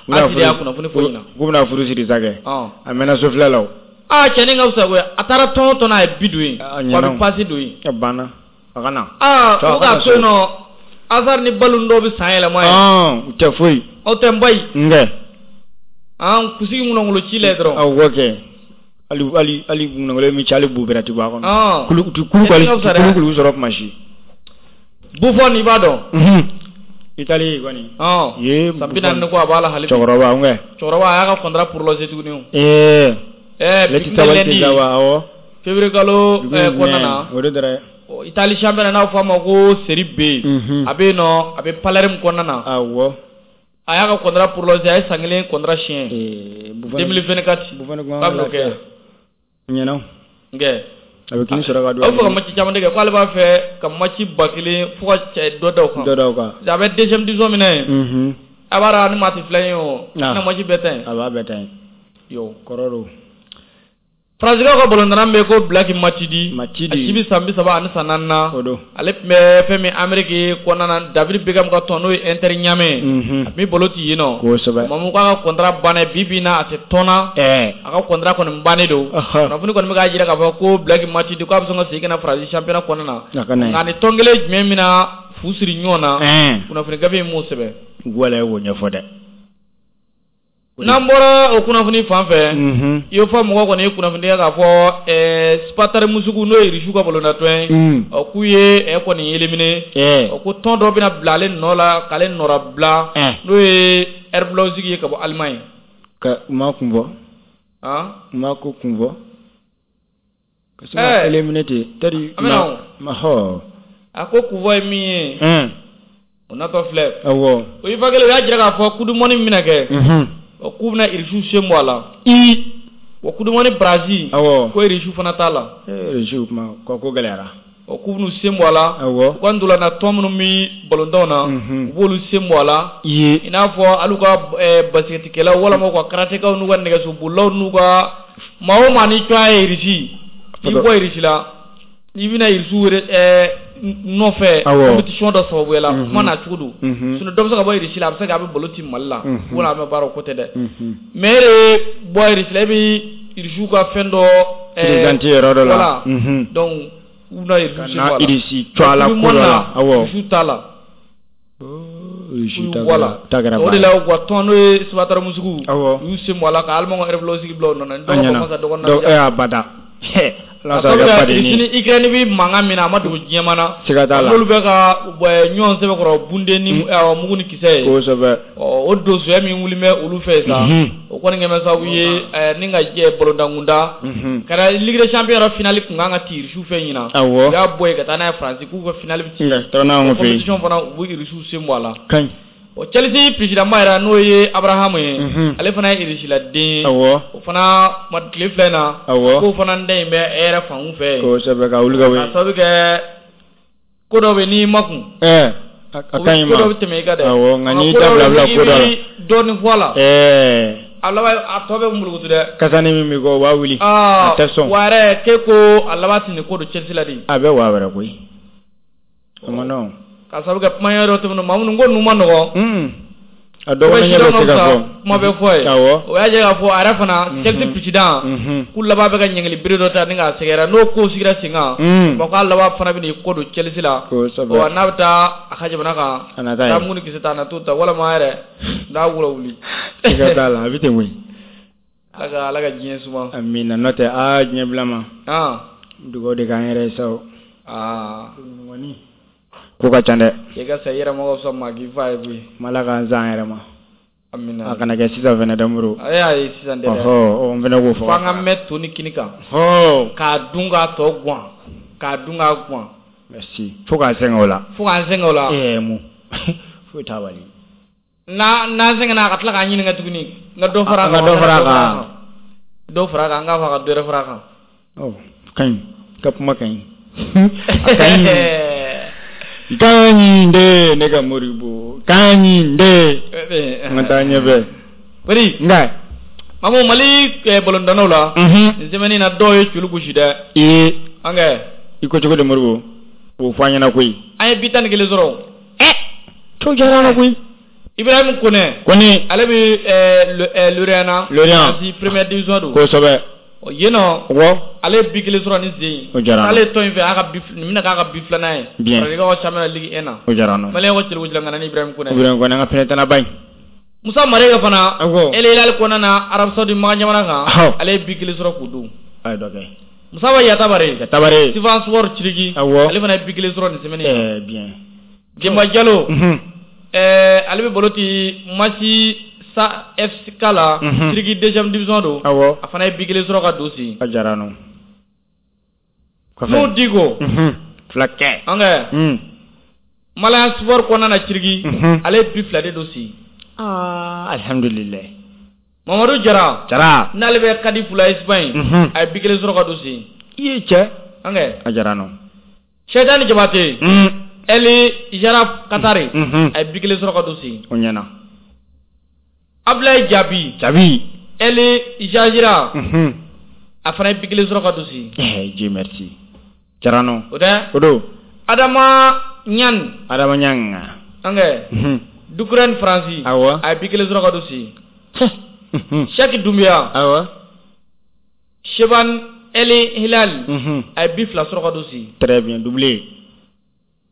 Speaker 2: AS de y'a kunnafoni fɔ ɲɛna.
Speaker 1: K'u bɛna furu siri sa kɛ.
Speaker 2: Ɔn.
Speaker 1: A mɛnna sofilɛ la o.
Speaker 2: Aa cɛnin ka fisa koyi a taara tɔn o tɔn na a ye bi don yen.
Speaker 1: A
Speaker 2: Wa a
Speaker 1: ɲɛna
Speaker 2: bɛ passe don yen.
Speaker 1: A banna. A ka na.
Speaker 2: Aa u k'a to yen nɔ Hazard ni Ballon dɔw bɛ san yɛlɛma yen.
Speaker 1: Ɔn u tɛ foyi.
Speaker 2: Aw tɛ n ba ye.
Speaker 1: Nkɛ.
Speaker 2: An kunsigi ŋunangolo ci la yen dɔrɔn.
Speaker 1: Awɔ kɛ. Hali hali hali ŋunangolo min ci hali bu bɛrɛ ti bɔ a kɔnɔ.
Speaker 2: Ɔn.
Speaker 1: Kulu kulu kulu kulu sɔrɔ kuma si.
Speaker 2: Buffon i b'a dɔn.
Speaker 1: Italie kɔni.
Speaker 2: Ɔn.
Speaker 1: Ye
Speaker 2: San 40 ni kɔ a b'a la hali bi.
Speaker 1: Cɛkɔrɔba nkɛ.
Speaker 2: Cɛkɔrɔba a y'a ka contrat prolongé tuguni o.
Speaker 1: Ee.
Speaker 2: Ɛɛ
Speaker 1: Ne ti sabali tɛ sa wa awɔ.
Speaker 2: Février kalo kɔnɔna na.
Speaker 1: O de dɛrɛ.
Speaker 2: Italie championnat n'a fɔ a ma ko Série B. A bɛ yen nɔ a bɛ Palerme kɔnɔna na.
Speaker 1: Awɔ.
Speaker 2: A y'a ka contrat prolongé a ye san kelen contrat signé.
Speaker 1: Ee Buffon
Speaker 2: 2024.
Speaker 1: Buffon kuma
Speaker 2: K'a bɛn'o kɛ.
Speaker 1: Ɲɛna.
Speaker 2: Nkɛ.
Speaker 1: A bɛ kini sɔrɔ ka don.
Speaker 2: A bɛ fɛ ka match caman de kɛ k'ale b'a fɛ ka match 1000 fo ka cɛ dɔ da o kan.
Speaker 1: Dɔ da o kan.
Speaker 2: A bɛ deuxième division min na yen. A b'a dɔn ni maa tɛ filan ye o.
Speaker 1: Ah.
Speaker 2: Na match bɛɛ ta yen.
Speaker 1: A b'a bɛɛ ta yen.
Speaker 2: Yo.
Speaker 1: Kɔrɔ don.
Speaker 2: Faransikaw ka balontanna bɛ ko Black Matuidi.
Speaker 1: Matuidi.
Speaker 2: A si bɛ san 34 na.
Speaker 1: O don.
Speaker 2: Ale tun bɛ fɛn min Amérique kɔnɔna na David Beckham ka tɔn n'o ye Inter Miami.
Speaker 1: Unhun.
Speaker 2: A tun bɛ balo ci yen nɔ.
Speaker 1: Kosɛbɛ.
Speaker 2: Mamu k'a ka contrat banna bi bi in na a tɛ tɔn na.
Speaker 1: Ɛɛ.
Speaker 2: A ka contrat kɔni bannen don.
Speaker 1: Ɔhɔ.
Speaker 2: Kunnafoni kɔni bɛ k'a jira k'a fɔ ko Black Matuidi k'a bɛ sɔn ka segin ka na Faransi championnat kɔnɔna na.
Speaker 1: A ka na yen.
Speaker 2: Nka ni tɔn kelen jumɛn bɛna fu siri ɲɔgɔn na.
Speaker 1: Ɛn.
Speaker 2: Kunnafoni gafe in m'o sɛbɛn.
Speaker 1: Wala e k'o ɲɛfɔ dɛ.
Speaker 2: N'an bɔra o kunnafoni fan fɛ.
Speaker 1: Unhun.
Speaker 2: I fɔ mɔgɔ kɔni ye kunnafoni kɛ k'a fɔ ɛɛ Spartak Moscou n'o ye Russe ka balontan ye. Ɔ k'u ye ɛ kɔni éliminé.
Speaker 1: Ɛɛ.
Speaker 2: Ɔ ko tɔn dɔ bɛna bila ale nɔ la k'ale nɔra bila.
Speaker 1: Ɛn.
Speaker 2: N'o ye RB Leipzig ye ka bɔ Allemagne.
Speaker 1: Ka u ma kun fɔ.
Speaker 2: Han.
Speaker 1: U ma ko kun fɔ. Ka se ka éliminé ten. Tari.
Speaker 2: An bɛna o.
Speaker 1: Ma hɔ.
Speaker 2: A ko kunfɔ ye min ye.
Speaker 1: Ɛn.
Speaker 2: O natɔ filɛ.
Speaker 1: Awɔ.
Speaker 2: O UEFA kelen u y'a jira k'a fɔ coupe du monde min bɛna kɛ.
Speaker 1: Unhun.
Speaker 2: Ɔ k'u bɛna Russe sen bɔ a la.
Speaker 1: I.
Speaker 2: Wa coupe du monde Brazil.
Speaker 1: Awɔ.
Speaker 2: Ko Russe fana t'a la.
Speaker 1: Ee Russe kuma ko ko gɛlɛyara.
Speaker 2: Ɔ k'u bɛn'u sen bɔ a la.
Speaker 1: Awɔ.
Speaker 2: U ka ntolanna tɔn minnu bɛ balontanw na.
Speaker 1: Unhun.
Speaker 2: U b'olu sen bɔ a la.
Speaker 1: I.
Speaker 2: I n'a fɔ hali u ka basikɛtikɛlaw walima u ka karatekaw n'u ka nɛgɛsobolilaw n'u ka maa o maa n'i tɔgɔ ye Russie. N'i bɔ Russie la n'i bɛna Russie wele nɔfɛ.
Speaker 1: Awɔ.
Speaker 2: Compétition dɔ sababuya la.
Speaker 1: Unhun.
Speaker 2: Kuma n'a cogo don.
Speaker 1: Unhun.
Speaker 2: Sinon dɔ bɛ se ka bɔ Russie la a bɛ se k'a bɛ balo ci Mali la.
Speaker 1: Unhun.
Speaker 2: Wala an bɛ baara o ko tɛ dɛ.
Speaker 1: Unhun.
Speaker 2: Mais e de bɔ Russie la e bɛ Russie ka fɛn dɔ.
Speaker 1: Présenter yɔrɔ dɔ la.
Speaker 2: Voilà.
Speaker 1: Unhun.
Speaker 2: Donc u bɛna Russie sen bɔ a la.
Speaker 1: Ka na Russie to a la ko dɔ la. Awɔ.
Speaker 2: Russie t'a la.
Speaker 1: Russie ta
Speaker 2: Voilà.
Speaker 1: ta kɛra
Speaker 2: O de la u ka tɔn n'o ye Spartak Moscou.
Speaker 1: Awɔ.
Speaker 2: U y'u sen bɔ a la ka Allemagne ka RB Leipzig bila u nɔ na.
Speaker 1: A ɲɛna.
Speaker 2: Dɔw ko masa
Speaker 1: Donc e abada. Ala
Speaker 2: A
Speaker 1: sa kɛ baden
Speaker 2: Russie
Speaker 1: ye.
Speaker 2: ni Ukraine bɛ mankan min na a ma dogo diɲɛ na.
Speaker 1: Siga t'a la.
Speaker 2: N'olu bɛ ka ɲɔgɔn sɛbɛkɔrɔ bunden ni mugu ni kisɛ ye.
Speaker 1: Kosɛbɛ.
Speaker 2: Ɔ o donsoya min wuli bɛ olu fɛ sa.
Speaker 1: Unhun.
Speaker 2: O kɔni kɛlen bɛ sababu ye ni ka jɛ balontankunda.
Speaker 1: Unhun.
Speaker 2: Kɛra Ligue des champions yɛrɛ finale kun kan ka ci Russie fɛ ɲinan.
Speaker 1: Awɔ.
Speaker 2: U y'a bɔ yen ka taa n'a ye France k'u ka finale bɛ ci.
Speaker 1: Nka taa n'anw fɛ yen.
Speaker 2: Compétition fana u bɛ Russie sen bɔ a la.
Speaker 1: Ka ɲi.
Speaker 2: Ɔ Chelsea président ba yɛrɛ n'o ye Abraham ye.
Speaker 1: Unhun.
Speaker 2: Ale fana ye Russie la den ye.
Speaker 1: Awɔ.
Speaker 2: O fana ma tile filɛ in na.
Speaker 1: Awɔ.
Speaker 2: K'o fana den in bɛ e yɛrɛ fan fɛ.
Speaker 1: Kosɛbɛ ka wuli ka bɔ
Speaker 2: Ka
Speaker 1: yen.
Speaker 2: sababu kɛ Ko dɔ bɛ n'i ma kun.
Speaker 1: A ka ɲi ma.
Speaker 2: Ko dɔ bɛ tɛmɛ i kan dɛ.
Speaker 1: Awɔ, nka n'i da bila ko dɔ la.
Speaker 2: I bɛ dɔɔnin fɔ a la. A laban a tɔ bɛ mulukutu dɛ.
Speaker 1: Kasani min b'i kɔ o b'a wuli. A tɛ sɔn.
Speaker 2: Wa yɛrɛ k'e ko a laban tɛ nin ko don Chelsea la de.
Speaker 1: A bɛ waa wɛrɛ koyi. O ma nɔgɔn.
Speaker 2: K'a sababu kɛ kuma ɲɛ dɔ tɛmɛnen maa minnu ko ninnu ma nɔgɔn.
Speaker 1: A dɔgɔnin ɲɛ bɛ se ka fɔ.
Speaker 2: Kuma bɛ fɔ ye.
Speaker 1: Awɔ.
Speaker 2: O y'a jira k'a fɔ a yɛrɛ fana Chelsea président. K'u laban bɛ ka ɲangili bere dɔ ta ni k'a sɛgɛrɛ n'o ko sigira sen kan. Bon k'a laban fana bɛ n'i kɔ don Chelsea la.
Speaker 1: Kosɛbɛ.
Speaker 2: Ɔ n'a bɛ taa a ka jamana kan.
Speaker 1: A na taa yen.
Speaker 2: Taa mugu ni kisɛ ta a na t'o ta walima yɛrɛ n'a wula wuli.
Speaker 1: Siga t'a la a bɛ ten koyi.
Speaker 2: Ala ka diɲɛ suma.
Speaker 1: Amina n'o tɛ aa diɲɛ bila ma. Dugawu de k'an yɛrɛ ye sa o. Ko ka ca dɛ.
Speaker 2: I ka sa i yɛrɛ ma ka fisa maa k'i fa ye koyi.
Speaker 1: Ala k'an san yɛrɛ ma.
Speaker 2: Amina.
Speaker 1: A kana kɛ sisan fana dɛ Modibo.
Speaker 2: Ayi sisan tɛ dɛ.
Speaker 1: Ɔhɔ n fana k'o fɔ.
Speaker 2: F'an ka mɛn to ni kini kan. K'a dun k'a tɔ guwan. K'a dun k'a guwan.
Speaker 1: Merci. Fo k'an sɛgɛn o la.
Speaker 2: Fo k'an sɛgɛn o la.
Speaker 1: Mun. Foyi t'a bali.
Speaker 2: N'an sɛgɛnna a ka tila k'an ɲininka tuguni. N ka dɔ fara a kan.
Speaker 1: N ka dɔ fara a kan.
Speaker 2: Dɔ fara a kan n k'a fɔ a ka dɔ wɛrɛ fara a kan.
Speaker 1: Ɔ ka ɲi. I ka kuma ka ɲi. A ka ɲi. Kaɲi de ne ka Modibo kaɲi de n ka taa ɲɛfɛ.
Speaker 2: Bari
Speaker 1: nka
Speaker 2: Mamu Mali balontannaw la. Nin semaine na dɔw ye celu gosi dɛ.
Speaker 1: Ee.
Speaker 2: An kɛ.
Speaker 1: I ko cogo di Modibo o fɔ an ɲɛna koyi.
Speaker 2: An ye bi 11 sɔrɔ.
Speaker 1: To diyara an na koyi.
Speaker 2: Ibrahim Kone.
Speaker 1: Kone.
Speaker 2: Ale bɛ Lorient na.
Speaker 1: Lorient.
Speaker 2: Première division don.
Speaker 1: Kosɛbɛ.
Speaker 2: Yen nɔ.
Speaker 1: Awɔ.
Speaker 2: Ale ye bi 1 sɔrɔ ni sen in.
Speaker 1: O diyara an na.
Speaker 2: Ale ye tɔn in fɛ a ka bi nin bɛna k'a ka bi 2nan ye.
Speaker 1: Bien.
Speaker 2: Farajɛkaw ka championnat Ligue 1 na.
Speaker 1: O diyara an na.
Speaker 2: Maliyɛnw ka celu gosila ŋana ni Ibrahim Kone.
Speaker 1: Ibrahim Kone an ka fɛnɛ ba in.
Speaker 2: Musa Marega fana.
Speaker 1: Awɔ.
Speaker 2: El Hilal kɔnɔna na Arabie Saoudite Makan jamana kan.
Speaker 1: Awɔ.
Speaker 2: Ale ye bi 1 sɔrɔ k'o dun.
Speaker 1: A ye dɔ kɛ.
Speaker 2: Musa Yatabare.
Speaker 1: Yatabare.
Speaker 2: Sifan Sport Ciriki.
Speaker 1: Awɔ.
Speaker 2: Ale fana ye bi 1 sɔrɔ nin semaine in na.
Speaker 1: Bien.
Speaker 2: Demba Jalo. Ale bɛ balo ti Masi Sa FK la. Ciriki deuxième division don.
Speaker 1: Awɔ.
Speaker 2: A fana ye bi 1 sɔrɔ ka don sen.
Speaker 1: A diyara an na.
Speaker 2: N'o Diko.
Speaker 1: Fila kɛ.
Speaker 2: An kɛ. Malien Sport kɔnɔna na Ciriki. Ale ye bi 2 de don sen.
Speaker 1: Alhamdulilayi.
Speaker 2: Mamadu Jara.
Speaker 1: Jara.
Speaker 2: N'ale bɛ Cardiff la Espagne. A ye bi 1 sɔrɔ ka don sen.
Speaker 1: I ye cɛ.
Speaker 2: An kɛ.
Speaker 1: A diyara an na.
Speaker 2: Sɛdani Jabate. Eli Jara Katari. A ye bi 1 sɔrɔ ka don sen.
Speaker 1: O ɲɛna.
Speaker 2: Abdoulaye Jabi.
Speaker 1: Jabi.
Speaker 2: Eli Jajira. A fana ye bi 1 sɔrɔ ka don sen.
Speaker 1: Dieu merci. Diyara an na.
Speaker 2: O tɛ.
Speaker 1: O don.
Speaker 2: Adama Ɲani.
Speaker 1: Adama Ɲani.
Speaker 2: An kɛ. Dukurɛni Faransi.
Speaker 1: Awɔ.
Speaker 2: A ye bi 1 sɔrɔ ka don sen. Sɛki Dunbiya.
Speaker 1: Awɔ.
Speaker 2: Seban Eli Hilal. A ye bi 2 sɔrɔ ka don sen.
Speaker 1: Très bien doublé.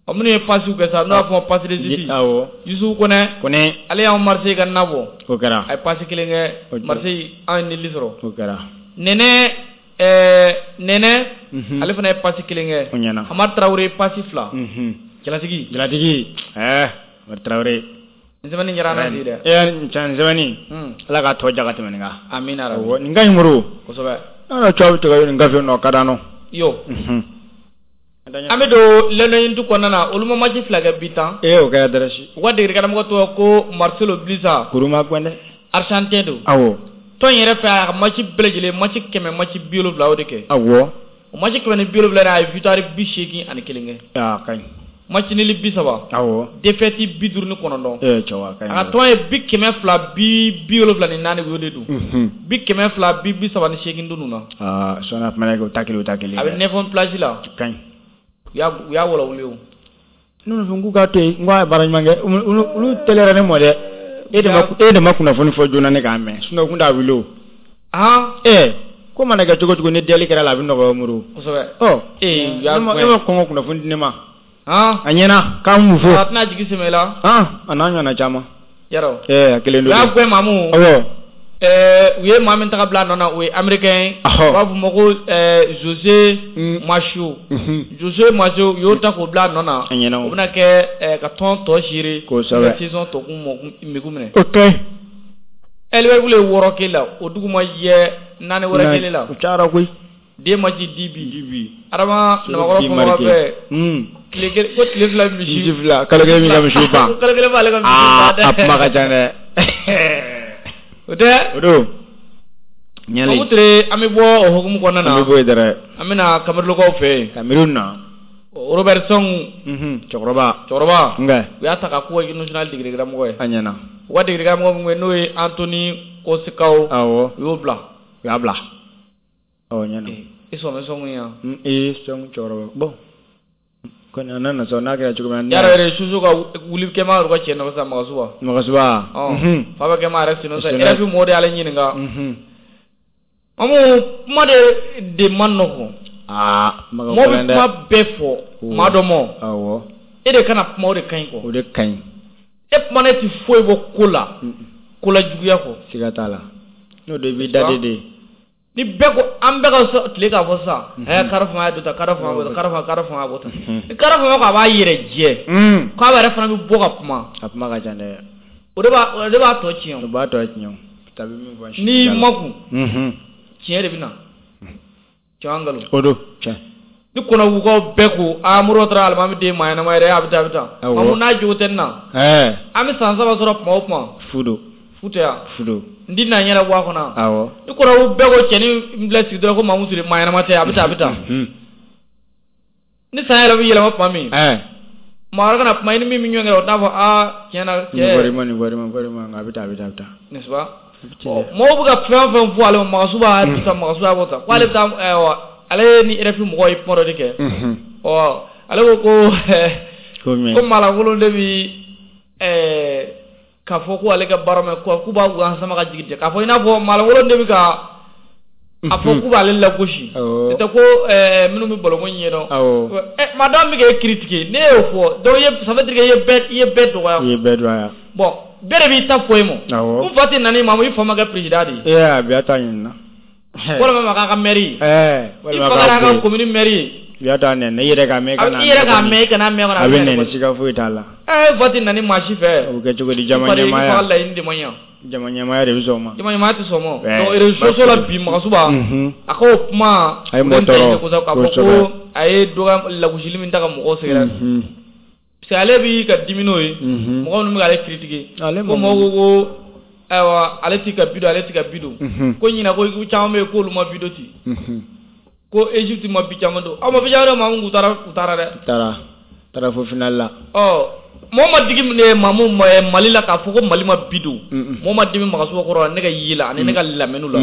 Speaker 2: Ɔ minnu ye passe kɛ sa n'o y'a fɔ passe décisive.
Speaker 1: Awɔ.
Speaker 2: Yusufu Kone.
Speaker 1: Kone.
Speaker 2: Ale y'anw Marseille ka na bɔ.
Speaker 1: O kɛra.
Speaker 2: A ye passe 1 kɛ Marseille an ye nili sɔrɔ.
Speaker 1: O kɛra.
Speaker 2: Nɛnɛ Nɛnɛ. Ale fana ye passe 1 kɛ.
Speaker 1: O ɲɛna.
Speaker 2: Hamad Traoré passe 2. Jalatigi.
Speaker 1: Jalatigi. Hamad Traoré.
Speaker 2: Nin semaine diyara an na bi dɛ.
Speaker 1: Nin semaine. Ala k'a tɔ ja ka tɛmɛ nin kan.
Speaker 2: Amina rabi.
Speaker 1: Awɔ nin ka ɲi Modibo.
Speaker 2: Kosɛbɛ.
Speaker 1: An ka cɛw bɛ tigɛ nin gafe nɔ ka d'an nɔ.
Speaker 2: Yo. An bɛ don lɛnɛyintu kɔnɔna na olu ma match 2 kɛ bi tan.
Speaker 1: O kɛra dɛrɛsi.
Speaker 2: U ka degeli karamɔgɔ tɔgɔ ko Marcelo Bielsa.
Speaker 1: Kuru ma gɛn dɛ.
Speaker 2: Argentin don.
Speaker 1: Awɔ.
Speaker 2: Tɔn yɛrɛ fɛ a ka match bɛɛ lajɛlen match 100 match 70 o de kɛ.
Speaker 1: Awɔ.
Speaker 2: O match 170 in a ye victoire 81 kɛ.
Speaker 1: Aa ka ɲi.
Speaker 2: Match nul 30.
Speaker 1: Awɔ.
Speaker 2: Défaite 59.
Speaker 1: Cɛ wa ka ɲi.
Speaker 2: A ka tɔn ye 274 u y'o de dun. 238 dun na.
Speaker 1: Aa sɔnni a fana o ta kelen o ta kelen.
Speaker 2: A bɛ 9 place la.
Speaker 1: Ka ɲi.
Speaker 2: U y'a wɔlɔwuli o.
Speaker 1: Ne ko k'u k'a to yen n ko a ye baara ɲuman kɛ olu teliyara ne mɔ dɛ. E de ma kunnafoni fɔ joona ne k'a mɛn sinon u tun t'a wuli o. Ko mana kɛ cogo cogo ni deli kɛra la a bɛ nɔgɔya Modibo.
Speaker 2: Kosɛbɛ.
Speaker 1: Ɔ e ma kɔn ka kunnafoni di ne ma. A ɲɛna k'an m'u fo.
Speaker 2: A tɛna jigi sɛmɛ i la.
Speaker 1: A n'a ɲɔgɔnna caman.
Speaker 2: Yarɔ.
Speaker 1: A kelen don.
Speaker 2: U y'a gɛn Mamu.
Speaker 1: Awɔ.
Speaker 2: U ye maa min ta ka bila a nɔ na o ye américain ye. U b'a fɔ ma ko Jose Macho. Jose Macho u y'o ta k'o bila a nɔ na.
Speaker 1: A ɲɛna o.
Speaker 2: O bɛna kɛ ka tɔn tɔ gérer.
Speaker 1: Kosɛbɛ.
Speaker 2: Ka saison tɔ kun mɛkun minɛ.
Speaker 1: O ka ɲi.
Speaker 2: Liverpool ye 6 k'e la o dugu ma jɛ 4 wɛrɛ kelen la.
Speaker 1: O cayara koyi.
Speaker 2: Den match 10 bi. Adama Namakɔrɔ fɔbaga bɛɛ. Tile kelen ko tile 2 misi.
Speaker 1: Misi 2 kalo kelen b'i ka misiw ban.
Speaker 2: Kalo kelen b'ale ka misiw ban dɛ.
Speaker 1: A kuma ka ca dɛ.
Speaker 2: O tɛ.
Speaker 1: O don. Ɲɛli.
Speaker 2: Mamu Ture an bɛ bɔ o hukumu kɔnɔna na.
Speaker 1: An bɛ bɔ yen dɛrɛ.
Speaker 2: An bɛ na Kamerunkaw fɛ yen.
Speaker 1: Kamerun na.
Speaker 2: Robert Song
Speaker 1: cɛkɔrɔba
Speaker 2: nka u y'a ta ka k'u ka équipe nationale degeli karamɔgɔ ye.
Speaker 1: A ɲɛna.
Speaker 2: U ka degeli karamɔgɔ min bɛ n'o ye Anthony Kosikaw.
Speaker 1: Awɔ.
Speaker 2: U y'o bila.
Speaker 1: U y'a bila. Awɔ, ɲɛna.
Speaker 2: I sɔn bɛ Song ye wa?
Speaker 1: Ee, Song cɛkɔrɔba bon. Kɔni a nana sɔn n'a kɛra cogo min
Speaker 2: na. Yàrá yɛrɛ Soso ka wuli kɛma yɛrɛ ka cɛ nɔfɛ sa Magasuba.
Speaker 1: Magasuba.
Speaker 2: Fa bɛ kɛma yɛrɛ sen nɔ sa RFI mɔgɔw de y'ale ɲininka. Mamu kuma de man nɔgɔn.
Speaker 1: Aa
Speaker 2: mɔgɔ bɛ kuma bɛɛ fɔ maa dɔ mɔ.
Speaker 1: Awɔ.
Speaker 2: E de kana kuma o de ka ɲi kɔ.
Speaker 1: O de ka ɲi.
Speaker 2: E kuma ne ti foyi bɔ ko la. Ko la juguya kɔ.
Speaker 1: Siga t'a la. N'o de b'i da de.
Speaker 2: Ni bɛɛ ko an bɛɛ ka tile k'a fɔ sisan. Ɛ kari fanga ye dɔ ta kari fanga bɔ tan kari fanga bɔ tan. Ni kari fanga ko a b'a yɛrɛ jɛ. K'a yɛrɛ fana bɛ bɔ ka kuma.
Speaker 1: A kuma ka ca dɛ.
Speaker 2: O de b'a tɔ tiɲɛ.
Speaker 1: O b'a tɔ tiɲɛ o. Tabi min fɔ.
Speaker 2: N'i makun. Tiɲɛ de bɛ na. Tiɲɛ nkalon.
Speaker 1: O don tiɲɛ.
Speaker 2: Ni kɔnɔbugukaw bɛɛ ko aa Moribo taara alimami den maa ɲɛnama yɛrɛ a bɛ tan a bɛ tan. Mamu n'a jogo tɛ nin na. An bɛ san 3 sɔrɔ kuma o kuma.
Speaker 1: Fu don.
Speaker 2: Fu tɛ yan.
Speaker 1: Fu don.
Speaker 2: N ti na ɲɛna bɔ a kɔnɔ.
Speaker 1: Awɔ.
Speaker 2: Ni kɔnɔbugu bɛɛ ko cɛnin n bila sigi dɔrɔn ko Mamu Ture maa ɲɛnama tɛ a bɛ tan a bɛ tan. Ni san yɛrɛ bɛ yɛlɛma tuma min. Maa wɛrɛ kana kuma i ni min bɛ ɲɔgɔn kɛ o t'a fɔ aa tiɲɛ na cɛ.
Speaker 1: Nin bɔra a bɛ tan a bɛ tan a bɛ tan.
Speaker 2: N'est-ce pas? Mɔgɔw bɛ ka fɛn fɛn fɔ ale ma Magasuba a ta Magasuba bɔ tan ko ale bɛ taa ale ni RFI mɔgɔw ye kuma dɔ de kɛ. Ɔ ale ko ko maalankolon de bi k'a fɔ ko ale ka baara mɛn k'u b'a gan sama ka jigin k'a fɔ i n'a fɔ maalankolon de bɛ ka a fɔ k'u b'ale lagosi. N'o tɛ ko minnu bɛ balonko ɲɛdɔn. Maa dɔ bɛ k'e critiquer ne y'o fɔ donc ça veut dire que i ye bɛɛ dɔgɔya.
Speaker 1: I ye bɛɛ dɔgɔya.
Speaker 2: Bon bɛɛ de b'i ta fɔ e ma.
Speaker 1: Awɔ.
Speaker 2: N fa tɛ na n'i ma i fa ma kɛ président de ye.
Speaker 1: Ee a bɛɛ ta ɲinina.
Speaker 2: Walima ma k'a ka maire ye.
Speaker 1: Walima
Speaker 2: i fa kɛra a ka commune maire ye.
Speaker 1: I y'a ta nɛni i yɛrɛ k'a mɛn i kana.
Speaker 2: I yɛrɛ k'a mɛn i kana mɛn kɔnɔ.
Speaker 1: A bɛ nɛni siga foyi t'a la.
Speaker 2: Fa tɛ na ni maa si fɛ.
Speaker 1: O bɛ kɛ cogo di jama ɲɛmaaya.
Speaker 2: I fa ka laɲini de ma ɲa.
Speaker 1: Jama ɲɛmaaya de bɛ sɔn o ma.
Speaker 2: Jama ɲɛmaaya tɛ sɔn o ma. Donc réseaux sociaux la bi Magasuba. A k'o kuma.
Speaker 1: A ye mɔgɔ tɔɔrɔ.
Speaker 2: K'a fɔ ko a ye dɔgɔ lagosili min ta ka mɔgɔw sɛgɛrɛ. Parce que ale b'i ka dimi n'o ye. Mɔgɔ minnu bɛ k'ale critiquer. Ko mɔgɔw ko ayiwa ale t'i ka bi don ale t'i ka bi don. Ko ɲinan ko caman bɛ yen k'olu ma bi don ten. Ko Égypte ma bi caman don. Aw ma bi caman don Mamu k'u taara dɛ.
Speaker 1: Taara fo finale la.
Speaker 2: Ɔ mɔgɔ ma digi Mamu Mali la k'a fɔ ko Mali ma bi don. Mɔgɔ ma dimi Magasuba kɔrɔ ne ka ye la ani ne ka lamɛnniw la.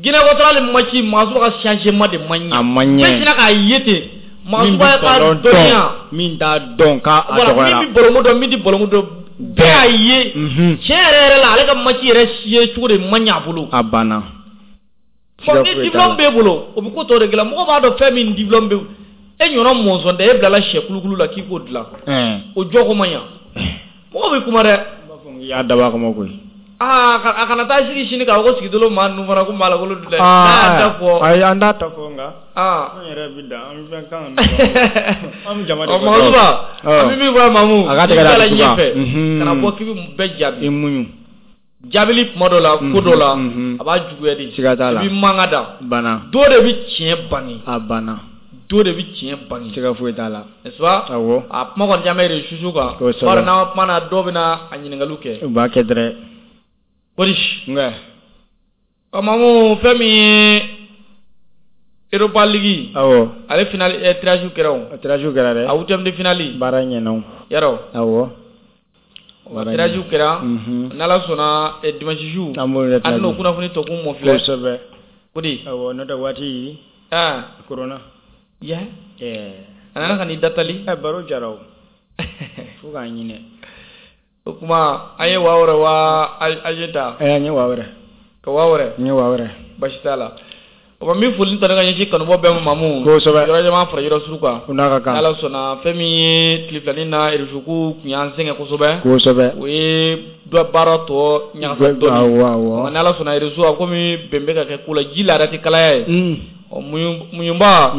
Speaker 2: Guinée équatoriale match Magasuba ka changement de ma ɲɛ.
Speaker 1: A ma ɲɛ.
Speaker 2: Bɛɛ sinna k'a ye ten. Magasuba ka dɔnniya.
Speaker 1: Min t'a dɔn k'a dɔgɔyara.
Speaker 2: Min bɛ ballon dɔn min tɛ ballon dɔn. Bɛɛ y'a ye. Tiɲɛ yɛrɛ yɛrɛ la ale ka match yɛrɛ ye cogo de ma ɲɛ a bolo.
Speaker 1: A banna.
Speaker 2: Bon ni diplôme b'e bolo o bɛ ko tɔ de dilan mɔgɔ b'a dɔn fɛn min diplôme bɛ e ɲɔgɔn mɔnzɔn tɛ e bilala sɛ kulukulu la k'i k'o dilan. O jɔ ko man ɲa. Mɔgɔ bɛ kuma dɛ.
Speaker 1: I y'a dabɔ a kama koyi.
Speaker 2: Aa a kana taa sigi sini k'a fɔ ko sigidolo maa ninnu fana ko maalankolon dun dɛ. N'a y'a ta fɔ.
Speaker 1: Ayi an t'a ta fɔ nka. An yɛrɛ bɛ dan an bɛ fɛn kan an bɛ jama de
Speaker 2: kɔ. Magasuba an bɛ min fɔ Mamu.
Speaker 1: A ka tɛgɛ da dusu kan.
Speaker 2: Kana bɔ k'i bɛ bɛɛ jaabi.
Speaker 1: I muɲu.
Speaker 2: Jaabili kuma dɔ la ko dɔ la a b'a juguya de.
Speaker 1: Siga t'a la.
Speaker 2: I b'i mankan da.
Speaker 1: Banna.
Speaker 2: Dɔ de bɛ tiɲɛ bange.
Speaker 1: A banna.
Speaker 2: Dɔ de bɛ tiɲɛ bange.
Speaker 1: Siga foyi t'a la.
Speaker 2: N'est-ce pas?
Speaker 1: Awɔ.
Speaker 2: A kuma kɔni caman bɛ réseaux kan.
Speaker 1: Kosɛbɛ.
Speaker 2: Bari n'an kuma na dɔw bɛ na a ɲininkaliw kɛ.
Speaker 1: U b'a kɛ dɛrɛ.
Speaker 2: Kori.
Speaker 1: Nka.
Speaker 2: Ɔ Mamu fɛn min ye Europa League.
Speaker 1: Awɔ.
Speaker 2: Ale finale tirage kɛra o.
Speaker 1: Tirage kɛra dɛ.
Speaker 2: A huitième de finale.
Speaker 1: Baara ɲɛna o.
Speaker 2: Yarɔ.
Speaker 1: Awɔ.
Speaker 2: Tirage kɛra. N'Ala sɔnna dimanche jour.
Speaker 1: An b'o yɛrɛ
Speaker 2: an n'o kunnafoni tɔ kun mɔ filɛ.
Speaker 1: Kosɛbɛ.
Speaker 2: Kodi.
Speaker 1: Awɔ n'o tɛ waati. Corona.
Speaker 2: Ya. A nana ka n'i datali.
Speaker 1: Baro jara o. Fo k'a ɲinɛ.
Speaker 2: O kuma an ye waa wɛrɛ waa aje ta.
Speaker 1: An ye waa wɛrɛ.
Speaker 2: Ka waa wɛrɛ.
Speaker 1: N ye waa wɛrɛ.
Speaker 2: Basi t'a la. O ma min foli tɔ ne ka ɲɛsin kanubɔ bɛɛ ma Mamu.
Speaker 1: Kosɛbɛ.
Speaker 2: Yɔrɔ caman fara yɔrɔ suru kan.
Speaker 1: O n'a ka kan.
Speaker 2: N'Ala sɔnna fɛn min ye tile filanin na réseau ko tun y'an sɛgɛn kosɛbɛ.
Speaker 1: Kosɛbɛ.
Speaker 2: O ye dɔ baara tɔ ɲagasa dɔɔni.
Speaker 1: Awɔ awɔ.
Speaker 2: N'Ala sɔnna réseau a komi bɛn bɛ ka kɛ ko la ji laada tɛ kalaya ye. Ɔ muɲunba.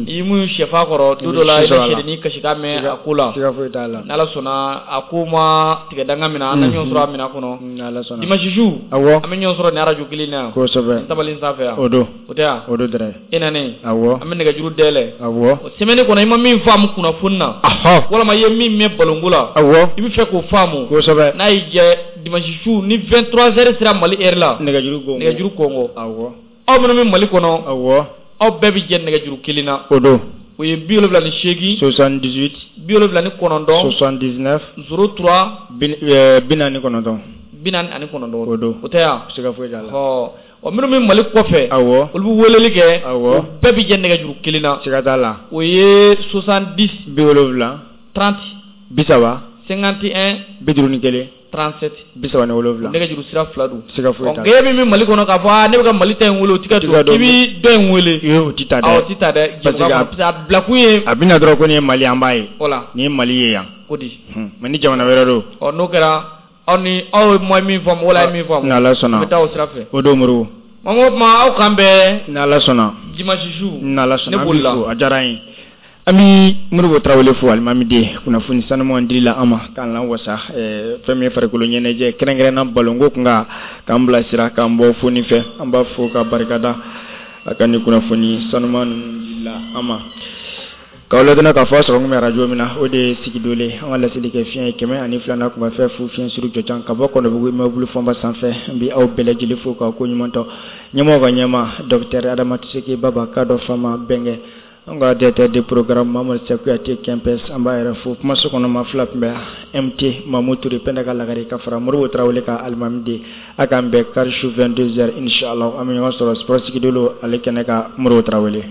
Speaker 2: I muɲu sɛfa kɔrɔ don dɔ la i bɛ sɛdennin kasikan mɛn a ko la.
Speaker 1: Siga foyi t'a la.
Speaker 2: N'Ala sɔnna a ko ma tigɛ danga minɛ an na ɲɔgɔn sɔrɔ a minɛ kɔnɔ.
Speaker 1: N'Ala sɔnna.
Speaker 2: Dimanche su.
Speaker 1: Awɔ.
Speaker 2: An bɛ ɲɔgɔn sɔrɔ nin arajo kelen na yan.
Speaker 1: Kosɛbɛ.
Speaker 2: Tabali sanfɛ yan.
Speaker 1: O don.
Speaker 2: O tɛ yan.
Speaker 1: O don dɛrɛ.
Speaker 2: E nalen.
Speaker 1: Awɔ.
Speaker 2: An bɛ nɛgɛjuru dayɛlɛ.
Speaker 1: Awɔ.
Speaker 2: O semaine kɔnɔ i ma min faamu kunnafoni na.
Speaker 1: Ahɔ.
Speaker 2: Walima i ye min mɛn balonko la.
Speaker 1: Awɔ.
Speaker 2: I bɛ fɛ k'o faamu.
Speaker 1: Kosɛbɛ.
Speaker 2: N'a y'i jɛ dimanche su ni 23 heures sera Mali heure la.
Speaker 1: Nɛgɛjuru kɔngɔ.
Speaker 2: Nɛgɛjuru kɔngɔ.
Speaker 1: Awɔ.
Speaker 2: Aw minnu bɛ Mali kɔnɔ.
Speaker 1: Awɔ.
Speaker 2: Aw bɛɛ bɛ jɛ nɛgɛjuru kelen na.
Speaker 1: O don.
Speaker 2: O ye 78,
Speaker 1: 78,
Speaker 2: 79,
Speaker 1: 79,
Speaker 2: 03,
Speaker 1: 49.
Speaker 2: 49.
Speaker 1: O don.
Speaker 2: O tɛ yan?
Speaker 1: Siga foyi t'a la.
Speaker 2: Ɔ, minnu bɛ Mali kɔfɛ.
Speaker 1: Awɔ.
Speaker 2: Olu bɛ weleli kɛ.
Speaker 1: Awɔ.
Speaker 2: O bɛɛ bɛ jɛ nɛgɛjuru kelen na.
Speaker 1: Siga t'a la.
Speaker 2: O ye 70,
Speaker 1: 70,
Speaker 2: 30,
Speaker 1: 30,
Speaker 2: 51,
Speaker 1: 51,
Speaker 2: 37.
Speaker 1: 37.
Speaker 2: Nɛgɛjuru sira fila don.
Speaker 1: Siga foyi t'a la.
Speaker 2: Ɔ, min bɛ Mali kɔnɔ k'a fɔ aa ne bɛ ka Mali ta in wele, o tɛ ka don, k'i bɛ dɔ in wele.
Speaker 1: Ee, o tɛ ta dɛ.
Speaker 2: Awɔ, o tɛ ta dɛ.
Speaker 1: Parce que
Speaker 2: a bilakun ye.
Speaker 1: A bɛna dɔrɔn ko nin ye Mali an b'a ye.
Speaker 2: Voilà.
Speaker 1: Nin ye Mali ye yan.
Speaker 2: O di.
Speaker 1: Mais ni jamana wɛrɛ don.
Speaker 2: Ɔ, n'o kɛra aw ni aw ye min faamu wala ye min faamu.
Speaker 1: N'Ala sɔnna.
Speaker 2: An bɛ taa o sira fɛ.
Speaker 1: O don Moribo.
Speaker 2: O tuma aw k'an bɛn.
Speaker 1: N'Ala sɔnna.
Speaker 2: Dimanche su.
Speaker 1: N'Ala sɔnna.
Speaker 2: Ne bolila.
Speaker 1: A diyara an ye. An bɛ Moribo Tarawele fo alimami den kunnafoni sanuman dili la an ma k'an lawasa fɛn min ye farikolo ɲɛnajɛ kɛrɛnkɛrɛnna balonko kun kan k'an bilasira k'an bɔ foni fɛ an b'a fo ka barikada a ka nin kunnafoni sanuman ninnu dili la an ma. K'aw ladɔnniya k'a fɔ aw sɔrɔ kun bɛ arajo min na o de ye Sigidole an ka laseli kɛ fiɲɛ ye 102 kuma fɛn fu fiɲɛ suru jɔjan ka bɔ Kɔnɔbugu immeuble fɔnba sanfɛ n bɛ aw bɛɛ lajɛlen fo k'aw ko ɲuman dɔn ɲɛmɔgɔ ka ɲɛma docteur Adama Tiseke Baba k'a dɔn fama bɛnkɛ an ka directeur de programme Mamadu Sakuyate Kɛnpɛs an b'a yɛrɛ fo kumaso kɔnɔ maa fila tun bɛ MT Mamu Ture Pɛnda ka lagare ka fara Moribo Tarawele ka alimami den a k'an bɛn kari su 22h inchallah an bɛ ɲɔgɔn sɔrɔ sport Sigidolo ale kɛnɛ kan Moribo Tarawele.